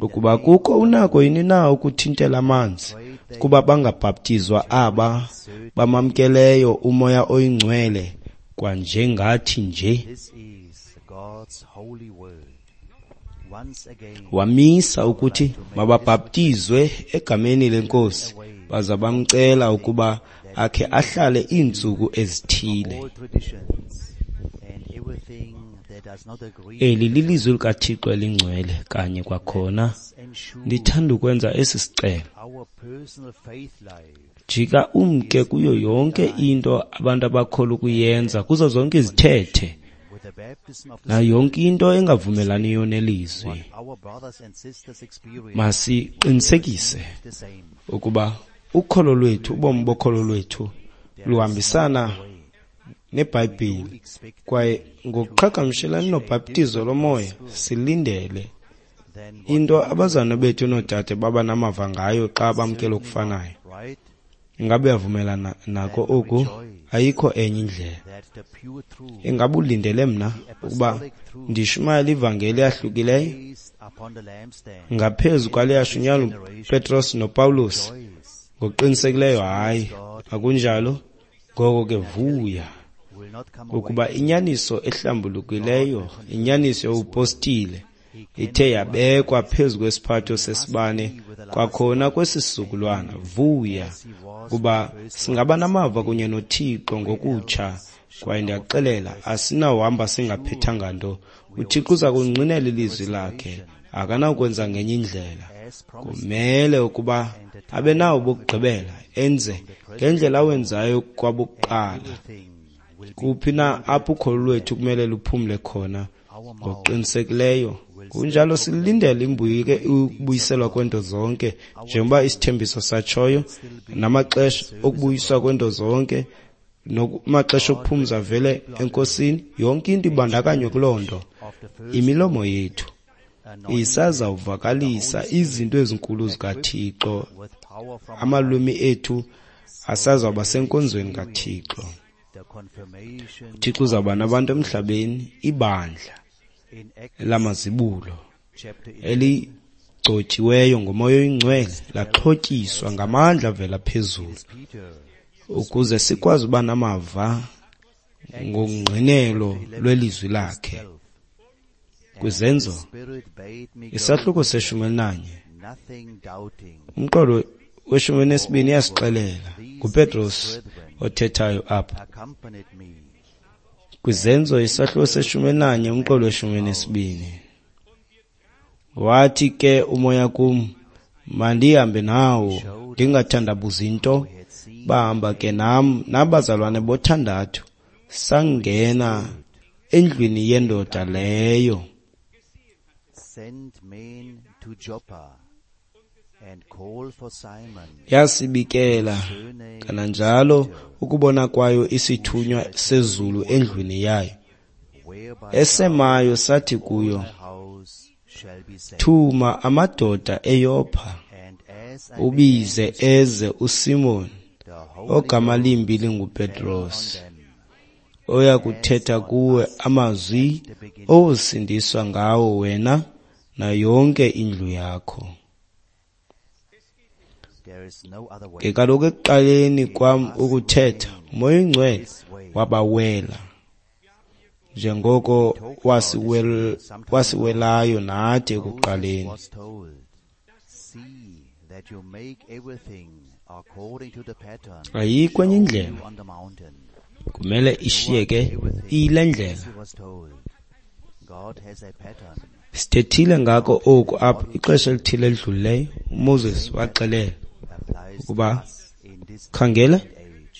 ukuba kukho unako yini na ukuthintela amanzi kuba bangabhaptizwa aba bamamkeleyo uMoya oyiNgcwele kwanjengathi nje. Wamisa ukuthi mababhaptizwe egameni leNkosi, baza bamcela ukuba akhe ahlale iintsuku ezithile. Eli lilizwi likaThixo elingcwele kanye kwakhona. Ndithanda ukwenza esi sicelo. Jika umke kuyo yonke into abantu abakholwa ukuyenza, kuzo zonke izithethe nayo yonke into engavumelaniyo nelizwi. Masiqinisekise ukuba ukholo lwethu, ubomi bokholo lwethu luhambisana neBhayibhile, kwaye ngokuqhagamshelana nobhaptizo lomoya silindele into abazalwana bethu noodade baba namava ngayo xa bamkela okufanayo. Ingabe uyavumelana nako oku? Ayikho enye indlela. Ingabe ulindele mna ukuba ndishumayele ivangeli eyahlukileyo ngaphezu kwale yashunyayelwa nguPetros noPawulos? Ngokuqinisekileyo hayi, akunjalo. Ngoko ke vuya ukuba inyaniso ehlambulukileyo, inyaniso yobupostile ithe yabekwa phezu kwesiphatho sesibane kwakhona kwesi sizukulwana. Vuya kuba singaba namava kunye noThixo ngokutsha, kwaye ndiyakuxelela asinawuhamba singaphethanga nto. uThixo uza kungqinela ilizwi lakhe, akanawukwenza ngenye indlela. Kumele ukuba abe nawo bokugqibela, enze ngendlela awenzayo kwabokuqala. Kuphi na apho ukholo lwethu kumele luphumle khona? Ngokuqinisekileyo kunjalo, silindele ukubuyiselwa kwento zonke, njengoba isithembiso satshoyo, namaxesha okubuyiswa kwento zonke, namaxesha okuphumza vele eNkosini. Yonke into ibandakanywe kuloo nto. Imilomo yethu isazawuvakalisa izinto ezinkulu zikaThixo, amalwimi ethu asazawuba senkonzweni kaThixo. uThixo uzawuba nabantu emhlabeni, ibandla lamazibulo eligcotshiweyo ngoMoya oyiNgcwele, laxhotyiswa ngamandla avela phezulu, ukuze sikwazi uba namava ngongqinelo lwelizwi lakhe. Kwizenzo isahluko se-11 umqolo we-12 iyasixelela, nguPetros othethayo apha. Kwizenzo isahluko se-11 umqolo we-12, wathi ke umoya kum, mandihambe nawo ndingathandabuzi nto. Bahamba ke nam nabazalwane bothandathu, sangena endlwini yendoda leyo. Yasibikela kananjalo ukubona kwayo isithunywa sezulu endlwini yayo. Esemayo sathi kuyo, thuma amadoda eYopha, ubize eze uSimon, ogama limbi linguPetros, oya kuthetha kuwe amazwi owosindiswa ngawo wena nayo yonke indlu yakho. Ke kaloku ekuqaleni kwam ukuthetha, uMoya oyiNgcwele wabawela, njengoko wasiwelayo nathi ekuqaleni. Ayikho enye indlela, kumele ishiyeke iyile ndlela. Sithethile ngako oku apha ixesha elithile elidlulileyo. uMoses waxelela ukuba khangela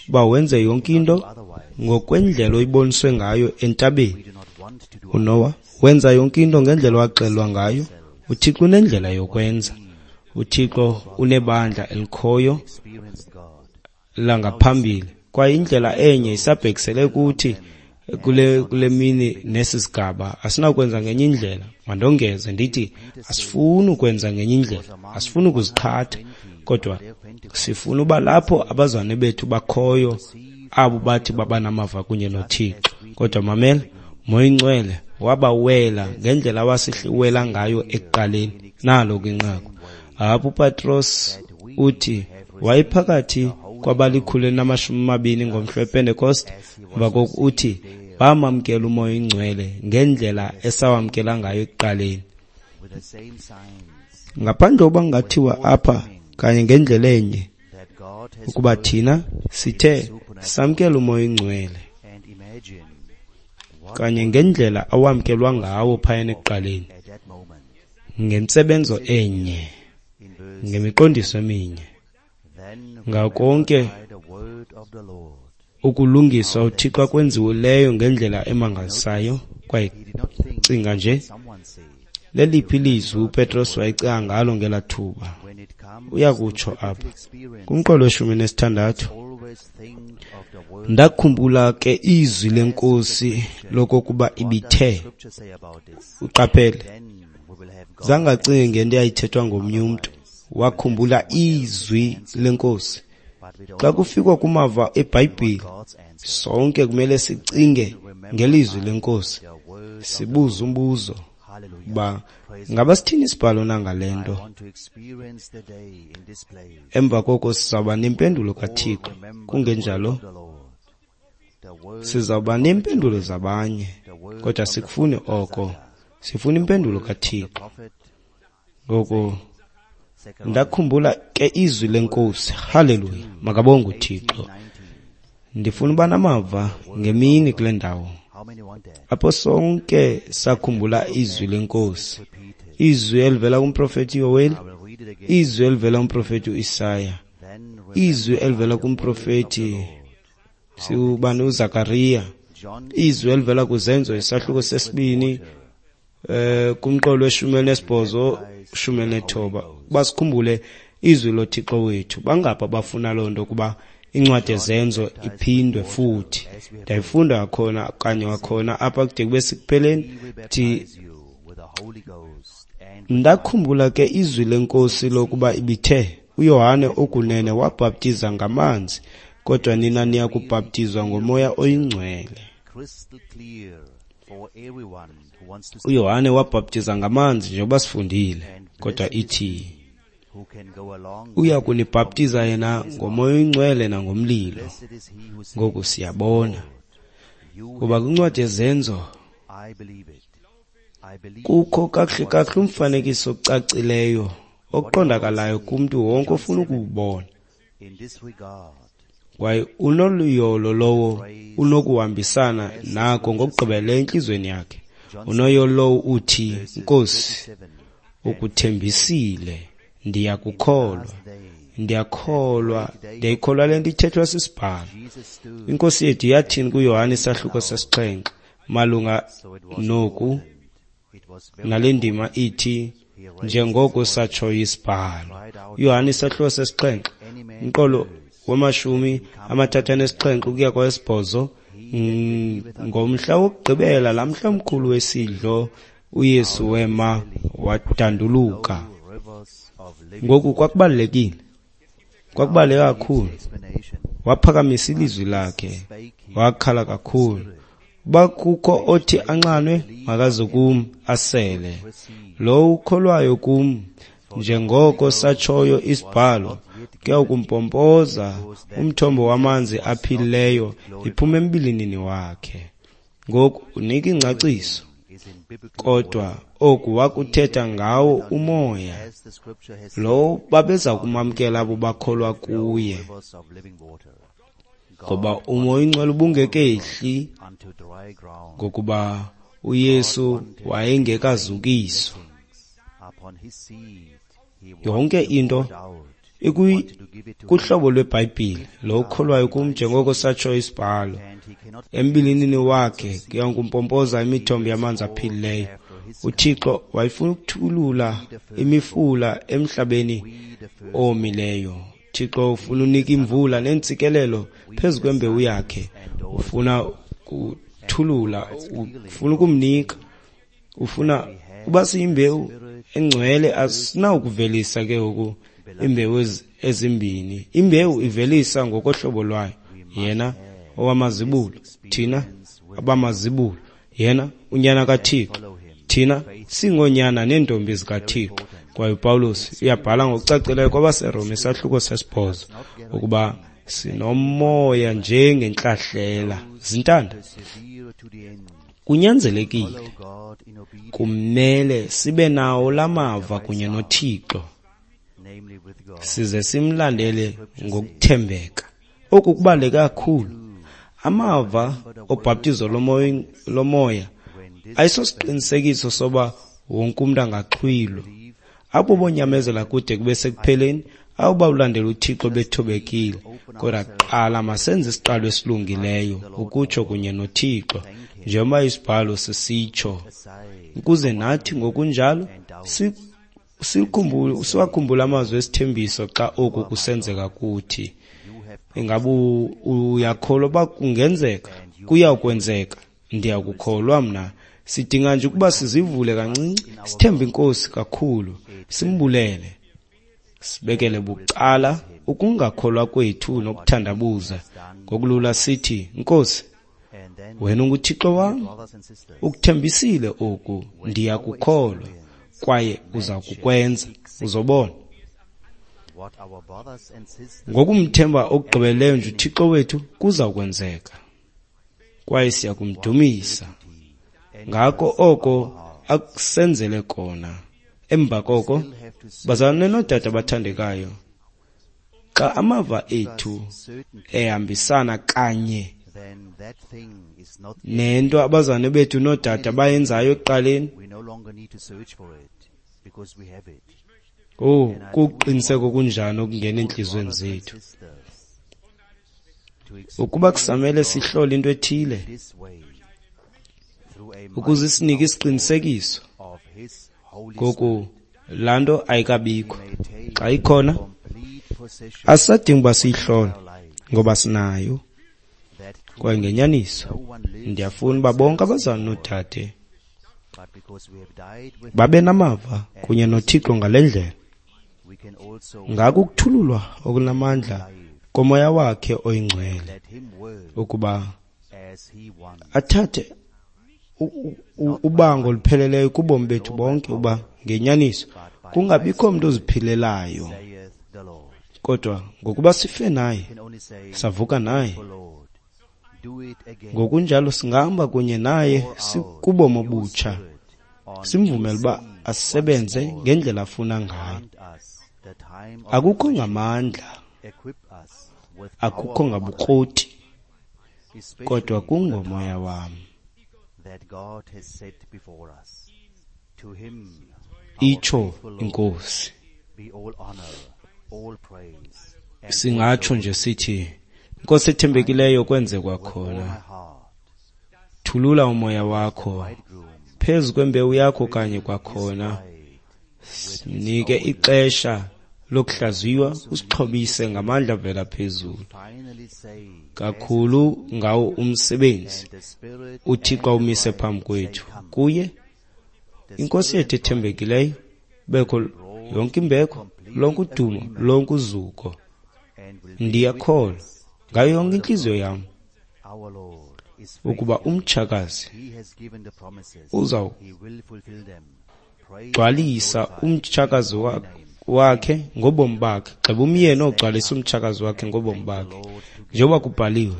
uba wenze yonke into ngokwendlela oyiboniswe ngayo entabeni. uNoah wenza yonke into ngendlela owaxelelwa ngayo. uThixo unendlela yokwenza. uThixo unebandla elikhoyo langaphambili, kwaye indlela enye isabhekisele kuthi kule mini nesi sigaba. Asinakwenza ngenye indlela. Mandongeze ndithi asifuni ukwenza ngenye indlela, asifuni ukuziqhatha, kodwa sifuna uba lapho abazalwane bethu bakhoyo, abo bathi baba namava kunye noThixo. Kodwa mamela, Moya oyiNgcwele wabawela ngendlela awasihliwela ngayo ekuqaleni. Nalo ke inqaku apho uPetros uthi wayephakathi kwabali-120 ngomhla wePentekoste. Emva koko uthi bamamkela uMoya oyiNgcwele ngendlela esawamkela ngayo ekuqaleni. Ngaphandle kokuba kungathiwa apha kanye ngendlela enye ukuba thina sithe samkela uMoya oyiNgcwele kanye ngendlela awamkelwa ngawo phayana ekuqaleni, ngentsebenzo enye, ngemiqondiso eminye, ngakonke ukulungiswa uThixo akwenzileyo ngendlela emangalisayo. Kwaye cinga nje, leliphi ilizwi uPetros wayecinga ngalo ngelaa thuba? Uyakutsho apha kumqolo we-16, ndakhumbula ke izwi leNkosi lokokuba ibithe. Uqaphele, zange acinge ngento eyayithethwa ngomnye umntu, wakhumbula izwi leNkosi. Xa kufikwa kumava eBhayibhile, sonke kumele sicinge ngelizwi leNkosi, sibuze umbuzo uba ngaba sithini isibhalo na ngale nto. Emva koko sizawuba nempendulo kaThixo, kungenjalo sizawuba neempendulo zabanye, kodwa sikufuni oko, sifuna impendulo kaThixo. Ngoku ndakhumbula ke izwi leNkosi. Haleluya, makabonge uThixo. Ndifuna uba namava ngemini kule ndawo apho sonke sakhumbula izwi leNkosi, izwi elivela kumprofeti Yoweli, izwi elivela kumprofeti uIsaya, izwi elivela kumprofeti siubani uZakariya, izwi elivela kuZenzo isahluko sesibini kumqolo we-18 19. Basikhumbule izwi loThixo wethu. Bangapha bafuna loo nto kuba incwadi yeZenzo iphindwe futhi. Ndayifunda khona kanye wakhona apha kude kube sekupheleni. Thi ndakhumbula ke izwi leNkosi lokuba ibithe uYohane okunene wabhaptiza ngamanzi, kodwa nina niya kubhaptizwa ngoMoya oyiNgcwele. uYohane wabhaptiza ngamanzi njengoba sifundile, kodwa ithi uya kunibhaptiza yena ngoMoya oyiNgcwele nangomlilo. Ngoku siyabona kuba kwincwadi yeZenzo kukho kakuhle kakuhle umfanekiso ocacileyo oqondakalayo kumntu wonke ofuna ukuwubona. Kwaye unoluyolo lowo unokuhambisana nako ngokugqibeleleyo entliziyweni yakhe. Unoyolo lowo uthi, Nkosi, ukuthembisile, ndiyakukholwa, ndiyakholwa, ndiyayikholwa le nto ithethwa sisibhalo. INkosi yethu yathini kuYohane isahluko sesixhenxe malunga noku nale ndima ithi njengoko satshoyo isibhalo. uYohane isahluko sesixhenxe umqolo we-37 ukuya kwowesibhozo. Ngomhla wokugqibela, laa mhla mkhulu wesidlo, uYesu wema wadanduluka. Ngoku kwakubalulekile, kwakubaluleke kakhulu. Waphakamisa ilizwi lakhe, wakhala kakhulu. Uba kukho othi anxanwe, makaze kum asele. Lowo ukholwayo kum, njengoko satshoyo isibhalo, kuya kumpompoza umthombo wamanzi aphilileyo iphuma embilinini wakhe. Ngoku unika ingcaciso, kodwa oku wakuthetha ngawo uMoya lowo babeza kumamkela abo bakholwa kuye, ngoba uMoya oyiNgcwele ubungekehli, ngokuba uYesu wayengekazukiswa. Yonke into kuhlobo lweBhayibhile. Lo ukholwayo kum, njengoko satsho isibhalo, embilinini wakhe kuya kumpompoza imithombo yamanzi aphilileyo. uThixo wayefuna ukuthulula imifula emhlabeni owomileyo. uThixo ufuna unika imvula neentsikelelo phezu kwembewu yakhe. Ufuna kuthulula, ufuna ukumnika, ufuna uba siyimbewu engcwele. Asinawukuvelisa ke ngoku imbewu ezimbini. Imbewu ivelisa ngokohlobo lwayo. Yena owamazibulo, thina abamazibulo. Yena unyana kaThixo, thina singoonyana neentombi zikaThixo. Kwaye uPawulos uyabhala ngokucacileyo kwabaseRoma isahluko 8 ukuba sinomoya njengentlahlela. Zintanda. Kunyanzelekile, kumele sibe nawo lamava kunye noThixo, size simlandele ngokuthembeka. Oku kubaluleke kakhulu. Amava obhaptizo lomoya ayisosiqinisekiso soba wonke umntu angaxhwilwa. Abo bonyamezela kude kube sekupheleni, abo bawulandela uThixo bethobekile. Kodwa kuqala masenze isiqalo esilungileyo, ukutsho kunye noThixo, njengoba isibhalo sisitsho, ukuze nathi ngokunjalo siwakhumbule amazwi esithembiso xa oku kusenzeka kuthi. Ingaba uyakholwa uba kungenzeka? Kuyawukwenzeka. Ndiyakukholwa mna. Sidinga nje ukuba sizivule kancinci, sithembe iNkosi kakhulu, simbulele, sibekele bucala ukungakholwa kwethu nokuthandabuza. Ngokulula sithi, Nkosi, wena unguThixo wam, ukuthembisile oku, ndiyakukholwa, kwaye uza kukwenza. Uzobona. Ngokumthemba okugqibeleleyo nje uThixo wethu, kuza kwenzeka, kwaye siyakumdumisa ngako oko akusenzele kona. Emva koko, bazalwane noodade abathandekayo, xa amava ethu ehambisana kanye nento abazalwane bethu noodade bayenzayo ekuqaleni, oh, kuqiniseko kunjani okungena entliziyweni zethu. Ukuba kusamele sihlole into ethile ukuze isinike isiqinisekiso, ngoku laa nto ayikabikho. Xa ikhona, asisadingi uba siyihlole ngoba sinayo. Kwaye ngenyaniso ndiyafuna uba bonke abazalwane noodade babe namava kunye noThixo ngale ndlela, ngako ukuthululwa okunamandla komoya wakhe oyingcwele, ukuba athathe ubango olupheleleyo kubomi bethu bonke, uba ngenyaniso kungabikho mntu oziphilelayo, kodwa ngokuba sife naye savuka naye, ngokunjalo singahamba kunye naye kubomi obutsha, simvumele uba asebenze ngendlela afuna ngayo. Akukho ngamandla, akukho ngabukroti, kodwa kungomoya wam, itsho iNkosi. Singatsho nje sithi, Nkosi ethembekileyo, kwenze kwakhona. Thulula umoya wakho phezu kwembewu yakho kanye kwakhona. Sinike ixesha lokuhlaziywa, usixhobise ngamandla avela phezulu kakhulu ngawo umsebenzi uThixo awumise phambi kwethu. Kuye iNkosi yethu ethembekileyo bekho yonke imbeko, lonke udumo, lonke uzuko. Ndiyakholwa ngayo yonke intliziyo yam ukuba umtshakazi uzawugcwalisa umtshakazi wakhe ngobomi bakhe. Gxeba umyeni ogcwalisa umtshakazi wakhe ngobomi bakhe, njengoba kubhaliwe.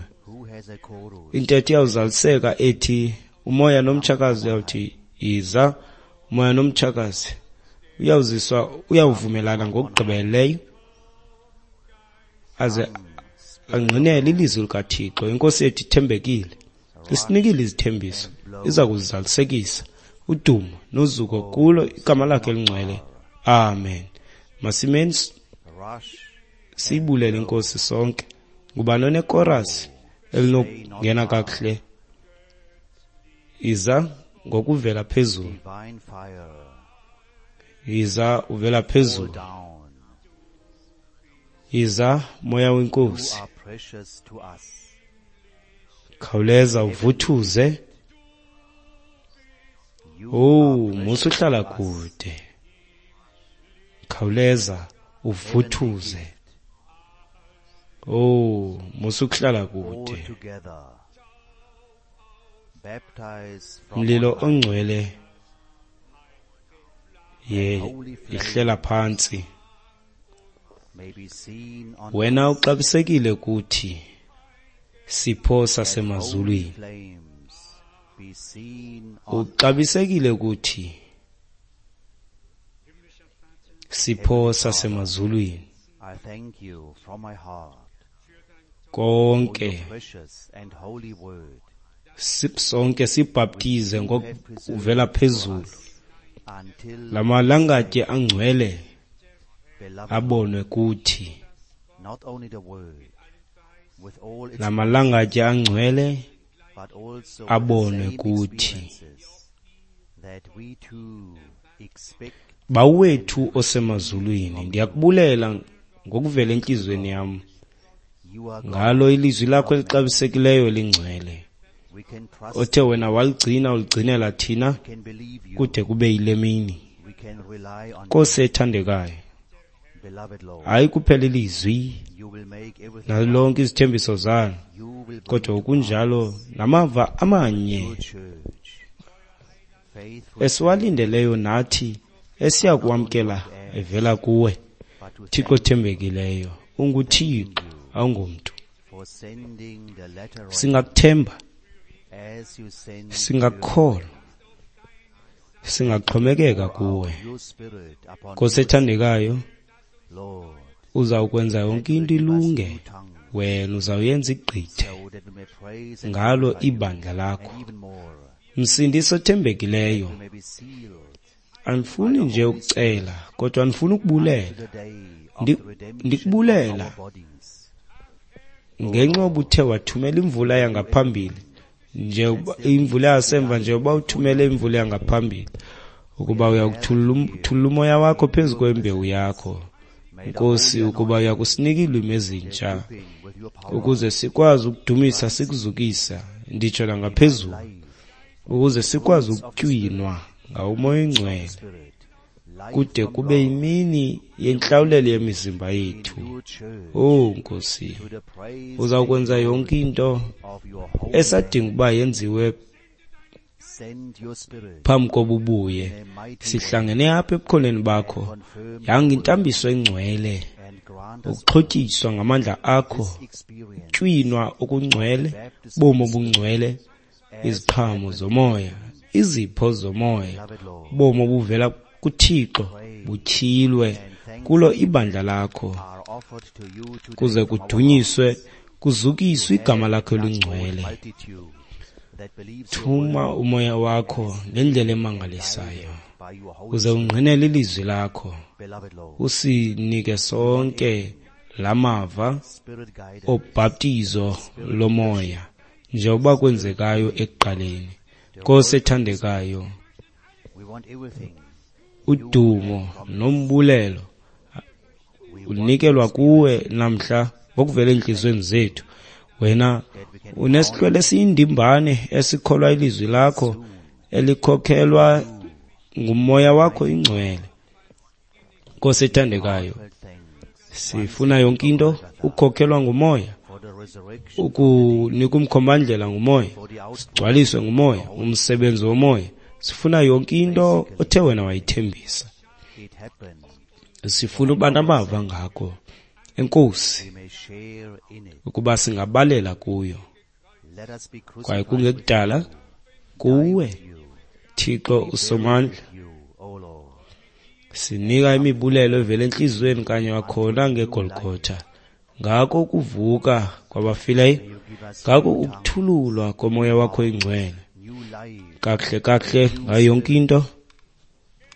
Intetho iyawuzaliseka ethi umoya nomtshakazi uyawuthi yiza, umoya nomtshakazi uyawuziswa, uyawuvumelana ngokugqibeleleyo aze angqinele ilizwi likaThixo. Inkosi yethu ithembekile, isinikile izithembiso, iza kuzizalisekisa. Udumo nozuko kulo igama lakhe elingcwele. Amen. Masimeni siyibulele iNkosi sonke. Ngubani onekorasi elinokungena kakuhle? Iza ngokuvela phezulu. Iza uvela phezulu. Iza moya wenkosi. Khawuleza uvuthuze. Oh, musa uhlala kude. Khawuleza uvuthuze. Oh, musa ukuhlala kude. Mlilo ongcwele yehlela phantsi. Wena uxabisekile kuthi, sipho sasemazulwini. Uxabisekile kuthi, sipho sasemazulwini. Konke sonke sibhaptize ngokuvela phezulu, lamalangatye angcwele abonwe kuthi. Lamalangatye angcwele abonwe kuthi. Bawethu osemazulwini, ndiyakubulela ngokuvela entliziyweni yam ngalo ilizwi lakho elixabisekileyo elingcwele, othe wena waligcina uligcinela thina kude kube yile mini. Nkosi ethandekayo, hayi kuphela ilizwi nalonke izithembiso zalo, kodwa okunjalo namava amanye esiwalindeleyo nathi esiyakuwamkela evela kuwe. Thixo othembekileyo, unguThixo, awungomntu. Singakuthemba, singakukholwa, singaxhomekeka kuwe. Nkosi ethandekayo, uzawukwenza yonke into ilunge, wena uzawuyenza igqithe ngalo ibandla lakho. Msindisi othembekileyo, andifuni nje ukucela, kodwa andifuni ukubulela. Ndikubulela ngenxa obuthe wathumela imvula yangaphambili, nje imvula yasemva, nje uba uthumele imvula yangaphambili, ukuba uyakuthulula umoya wakho phezu kwembewu yakho. Nkosi, ukuba uyakusinika iilwimi ezintsha ukuze sikwazi ukudumisa, sikuzukisa, nditsho nangaphezulu, ukuze sikwazi ukutywinwa ngawo umoya oyingcwele kude kube yimini yentlawulelo yemizimba yethu. Oh Nkosi, uzawukwenza yonke into esadinga uba yenziwe phambi kobubuye. Sihlangene apha ebukhoneni bakho, yanga intambiso engcwele, ukuxhotyiswa ngamandla akho, tywinwa okungcwele, bomi obungcwele, iziqhamo zomoya, izipho zomoya, bomi obuvela kuThixo butyhilwe kulo ibandla lakho, kuze kudunyiswe, kuzukiswe igama lakho elingcwele. Thuma umoya wakho ngendlela emangalisayo, uze ungqinele ilizwi lakho, usinike sonke lamava obhaptizo lomoya njengoba kwenzekayo ekuqaleni. Nkosi ethandekayo, udumo nombulelo unikelwa kuwe namhla ngokuvela enhliziyweni zethu. Wena unesihlwele esiyindimbane esikholwa ilizwi lakho elikhokhelwa ngumoya wakho ingcwele. Nkosi ethandekayo, sifuna yonke into ukukhokhelwa ngumoya, ukunika umkhombandlela ngumoya, sigcwaliswe ngumoya, umsebenzi womoya. Sifuna yonke into othe wena wayithembisa. Sifuna uba namava ngakho, Enkosi, ukuba singabalela kuyo. Kwaye kungekudala kuwe, Thixo usomandla, sinika imibulelo evela entliziyweni kanye wakhona ngeGolgotha, ngako ukuvuka kwabafileyo, ngako ukuthululwa komoya wakho ingcwele. Kakuhle kakuhle ngayo yonke into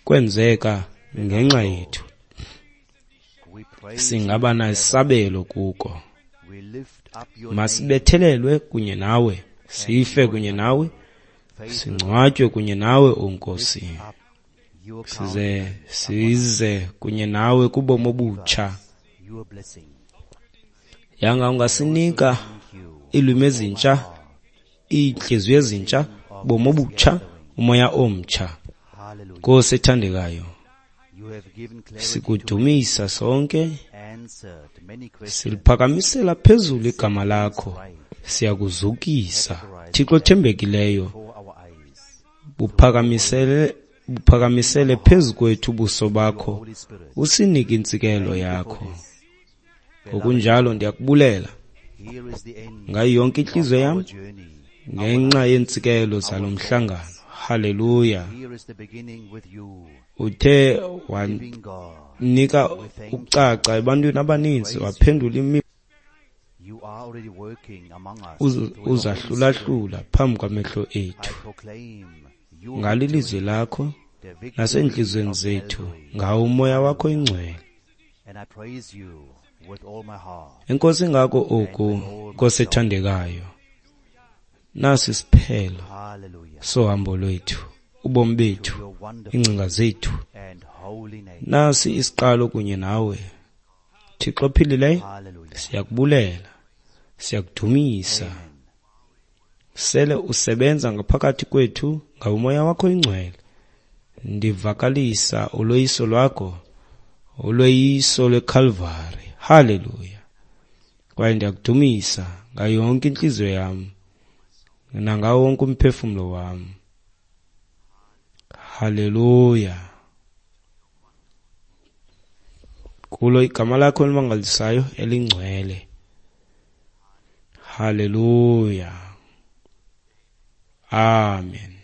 kwenzeka ngenxa yethu. Singaba nesabelo kuko. Masibethelelwe kunye nawe, sife kunye nawe, singcwatywe kunye nawe, o Nkosi. Size kunye nawe kubomi obutsha. Yanga ungasinika iilwimi ezintsha, iintliziyo ezintsha, bomi obutsha, umoya omtsha. Nkosi ethandekayo, sikudumisa sonke, siliphakamisela phezulu igama lakho, siyakuzukisa. Thixo othembekileyo, buphakamisele phezu kwethu ubuso bakho, usinike intsikelo yakho. Ngokunjalo ndiyakubulela ngayo yonke intliziyo yam Ngenxa yeentsikelelo zalo mhlangano. Haleluya. Uthe wanika ukucaca ebantwini abaninzi, waphendula uzahlulahlula phambi kwamehlo ethu. Ngalo ilizwi lakho naseentliziyweni zethu, ngawo uMoya wakho iNgcwele. Enkosi ngako oku, Nkosi ethandekayo. Nasi isiphelo sohambo lwethu, ubomi bethu, iingcinga zethu. Nasi isiqalo kunye nawe. Thixo ophilileyo, siyakubulela, siyakudumisa. Sele usebenza ngaphakathi kwethu ngawo uMoya wakho iNgcwele. Ndivakalisa uloyiso lwakho, uloyiso lweKhalvari. Haleluya. Kwaye ndiyakudumisa ngayo yonke intliziyo yam nangawo wonke umphefumlo wam. Haleluya. Kulo igama lakho elimangalisayo elingcwele. Haleluya. Amen.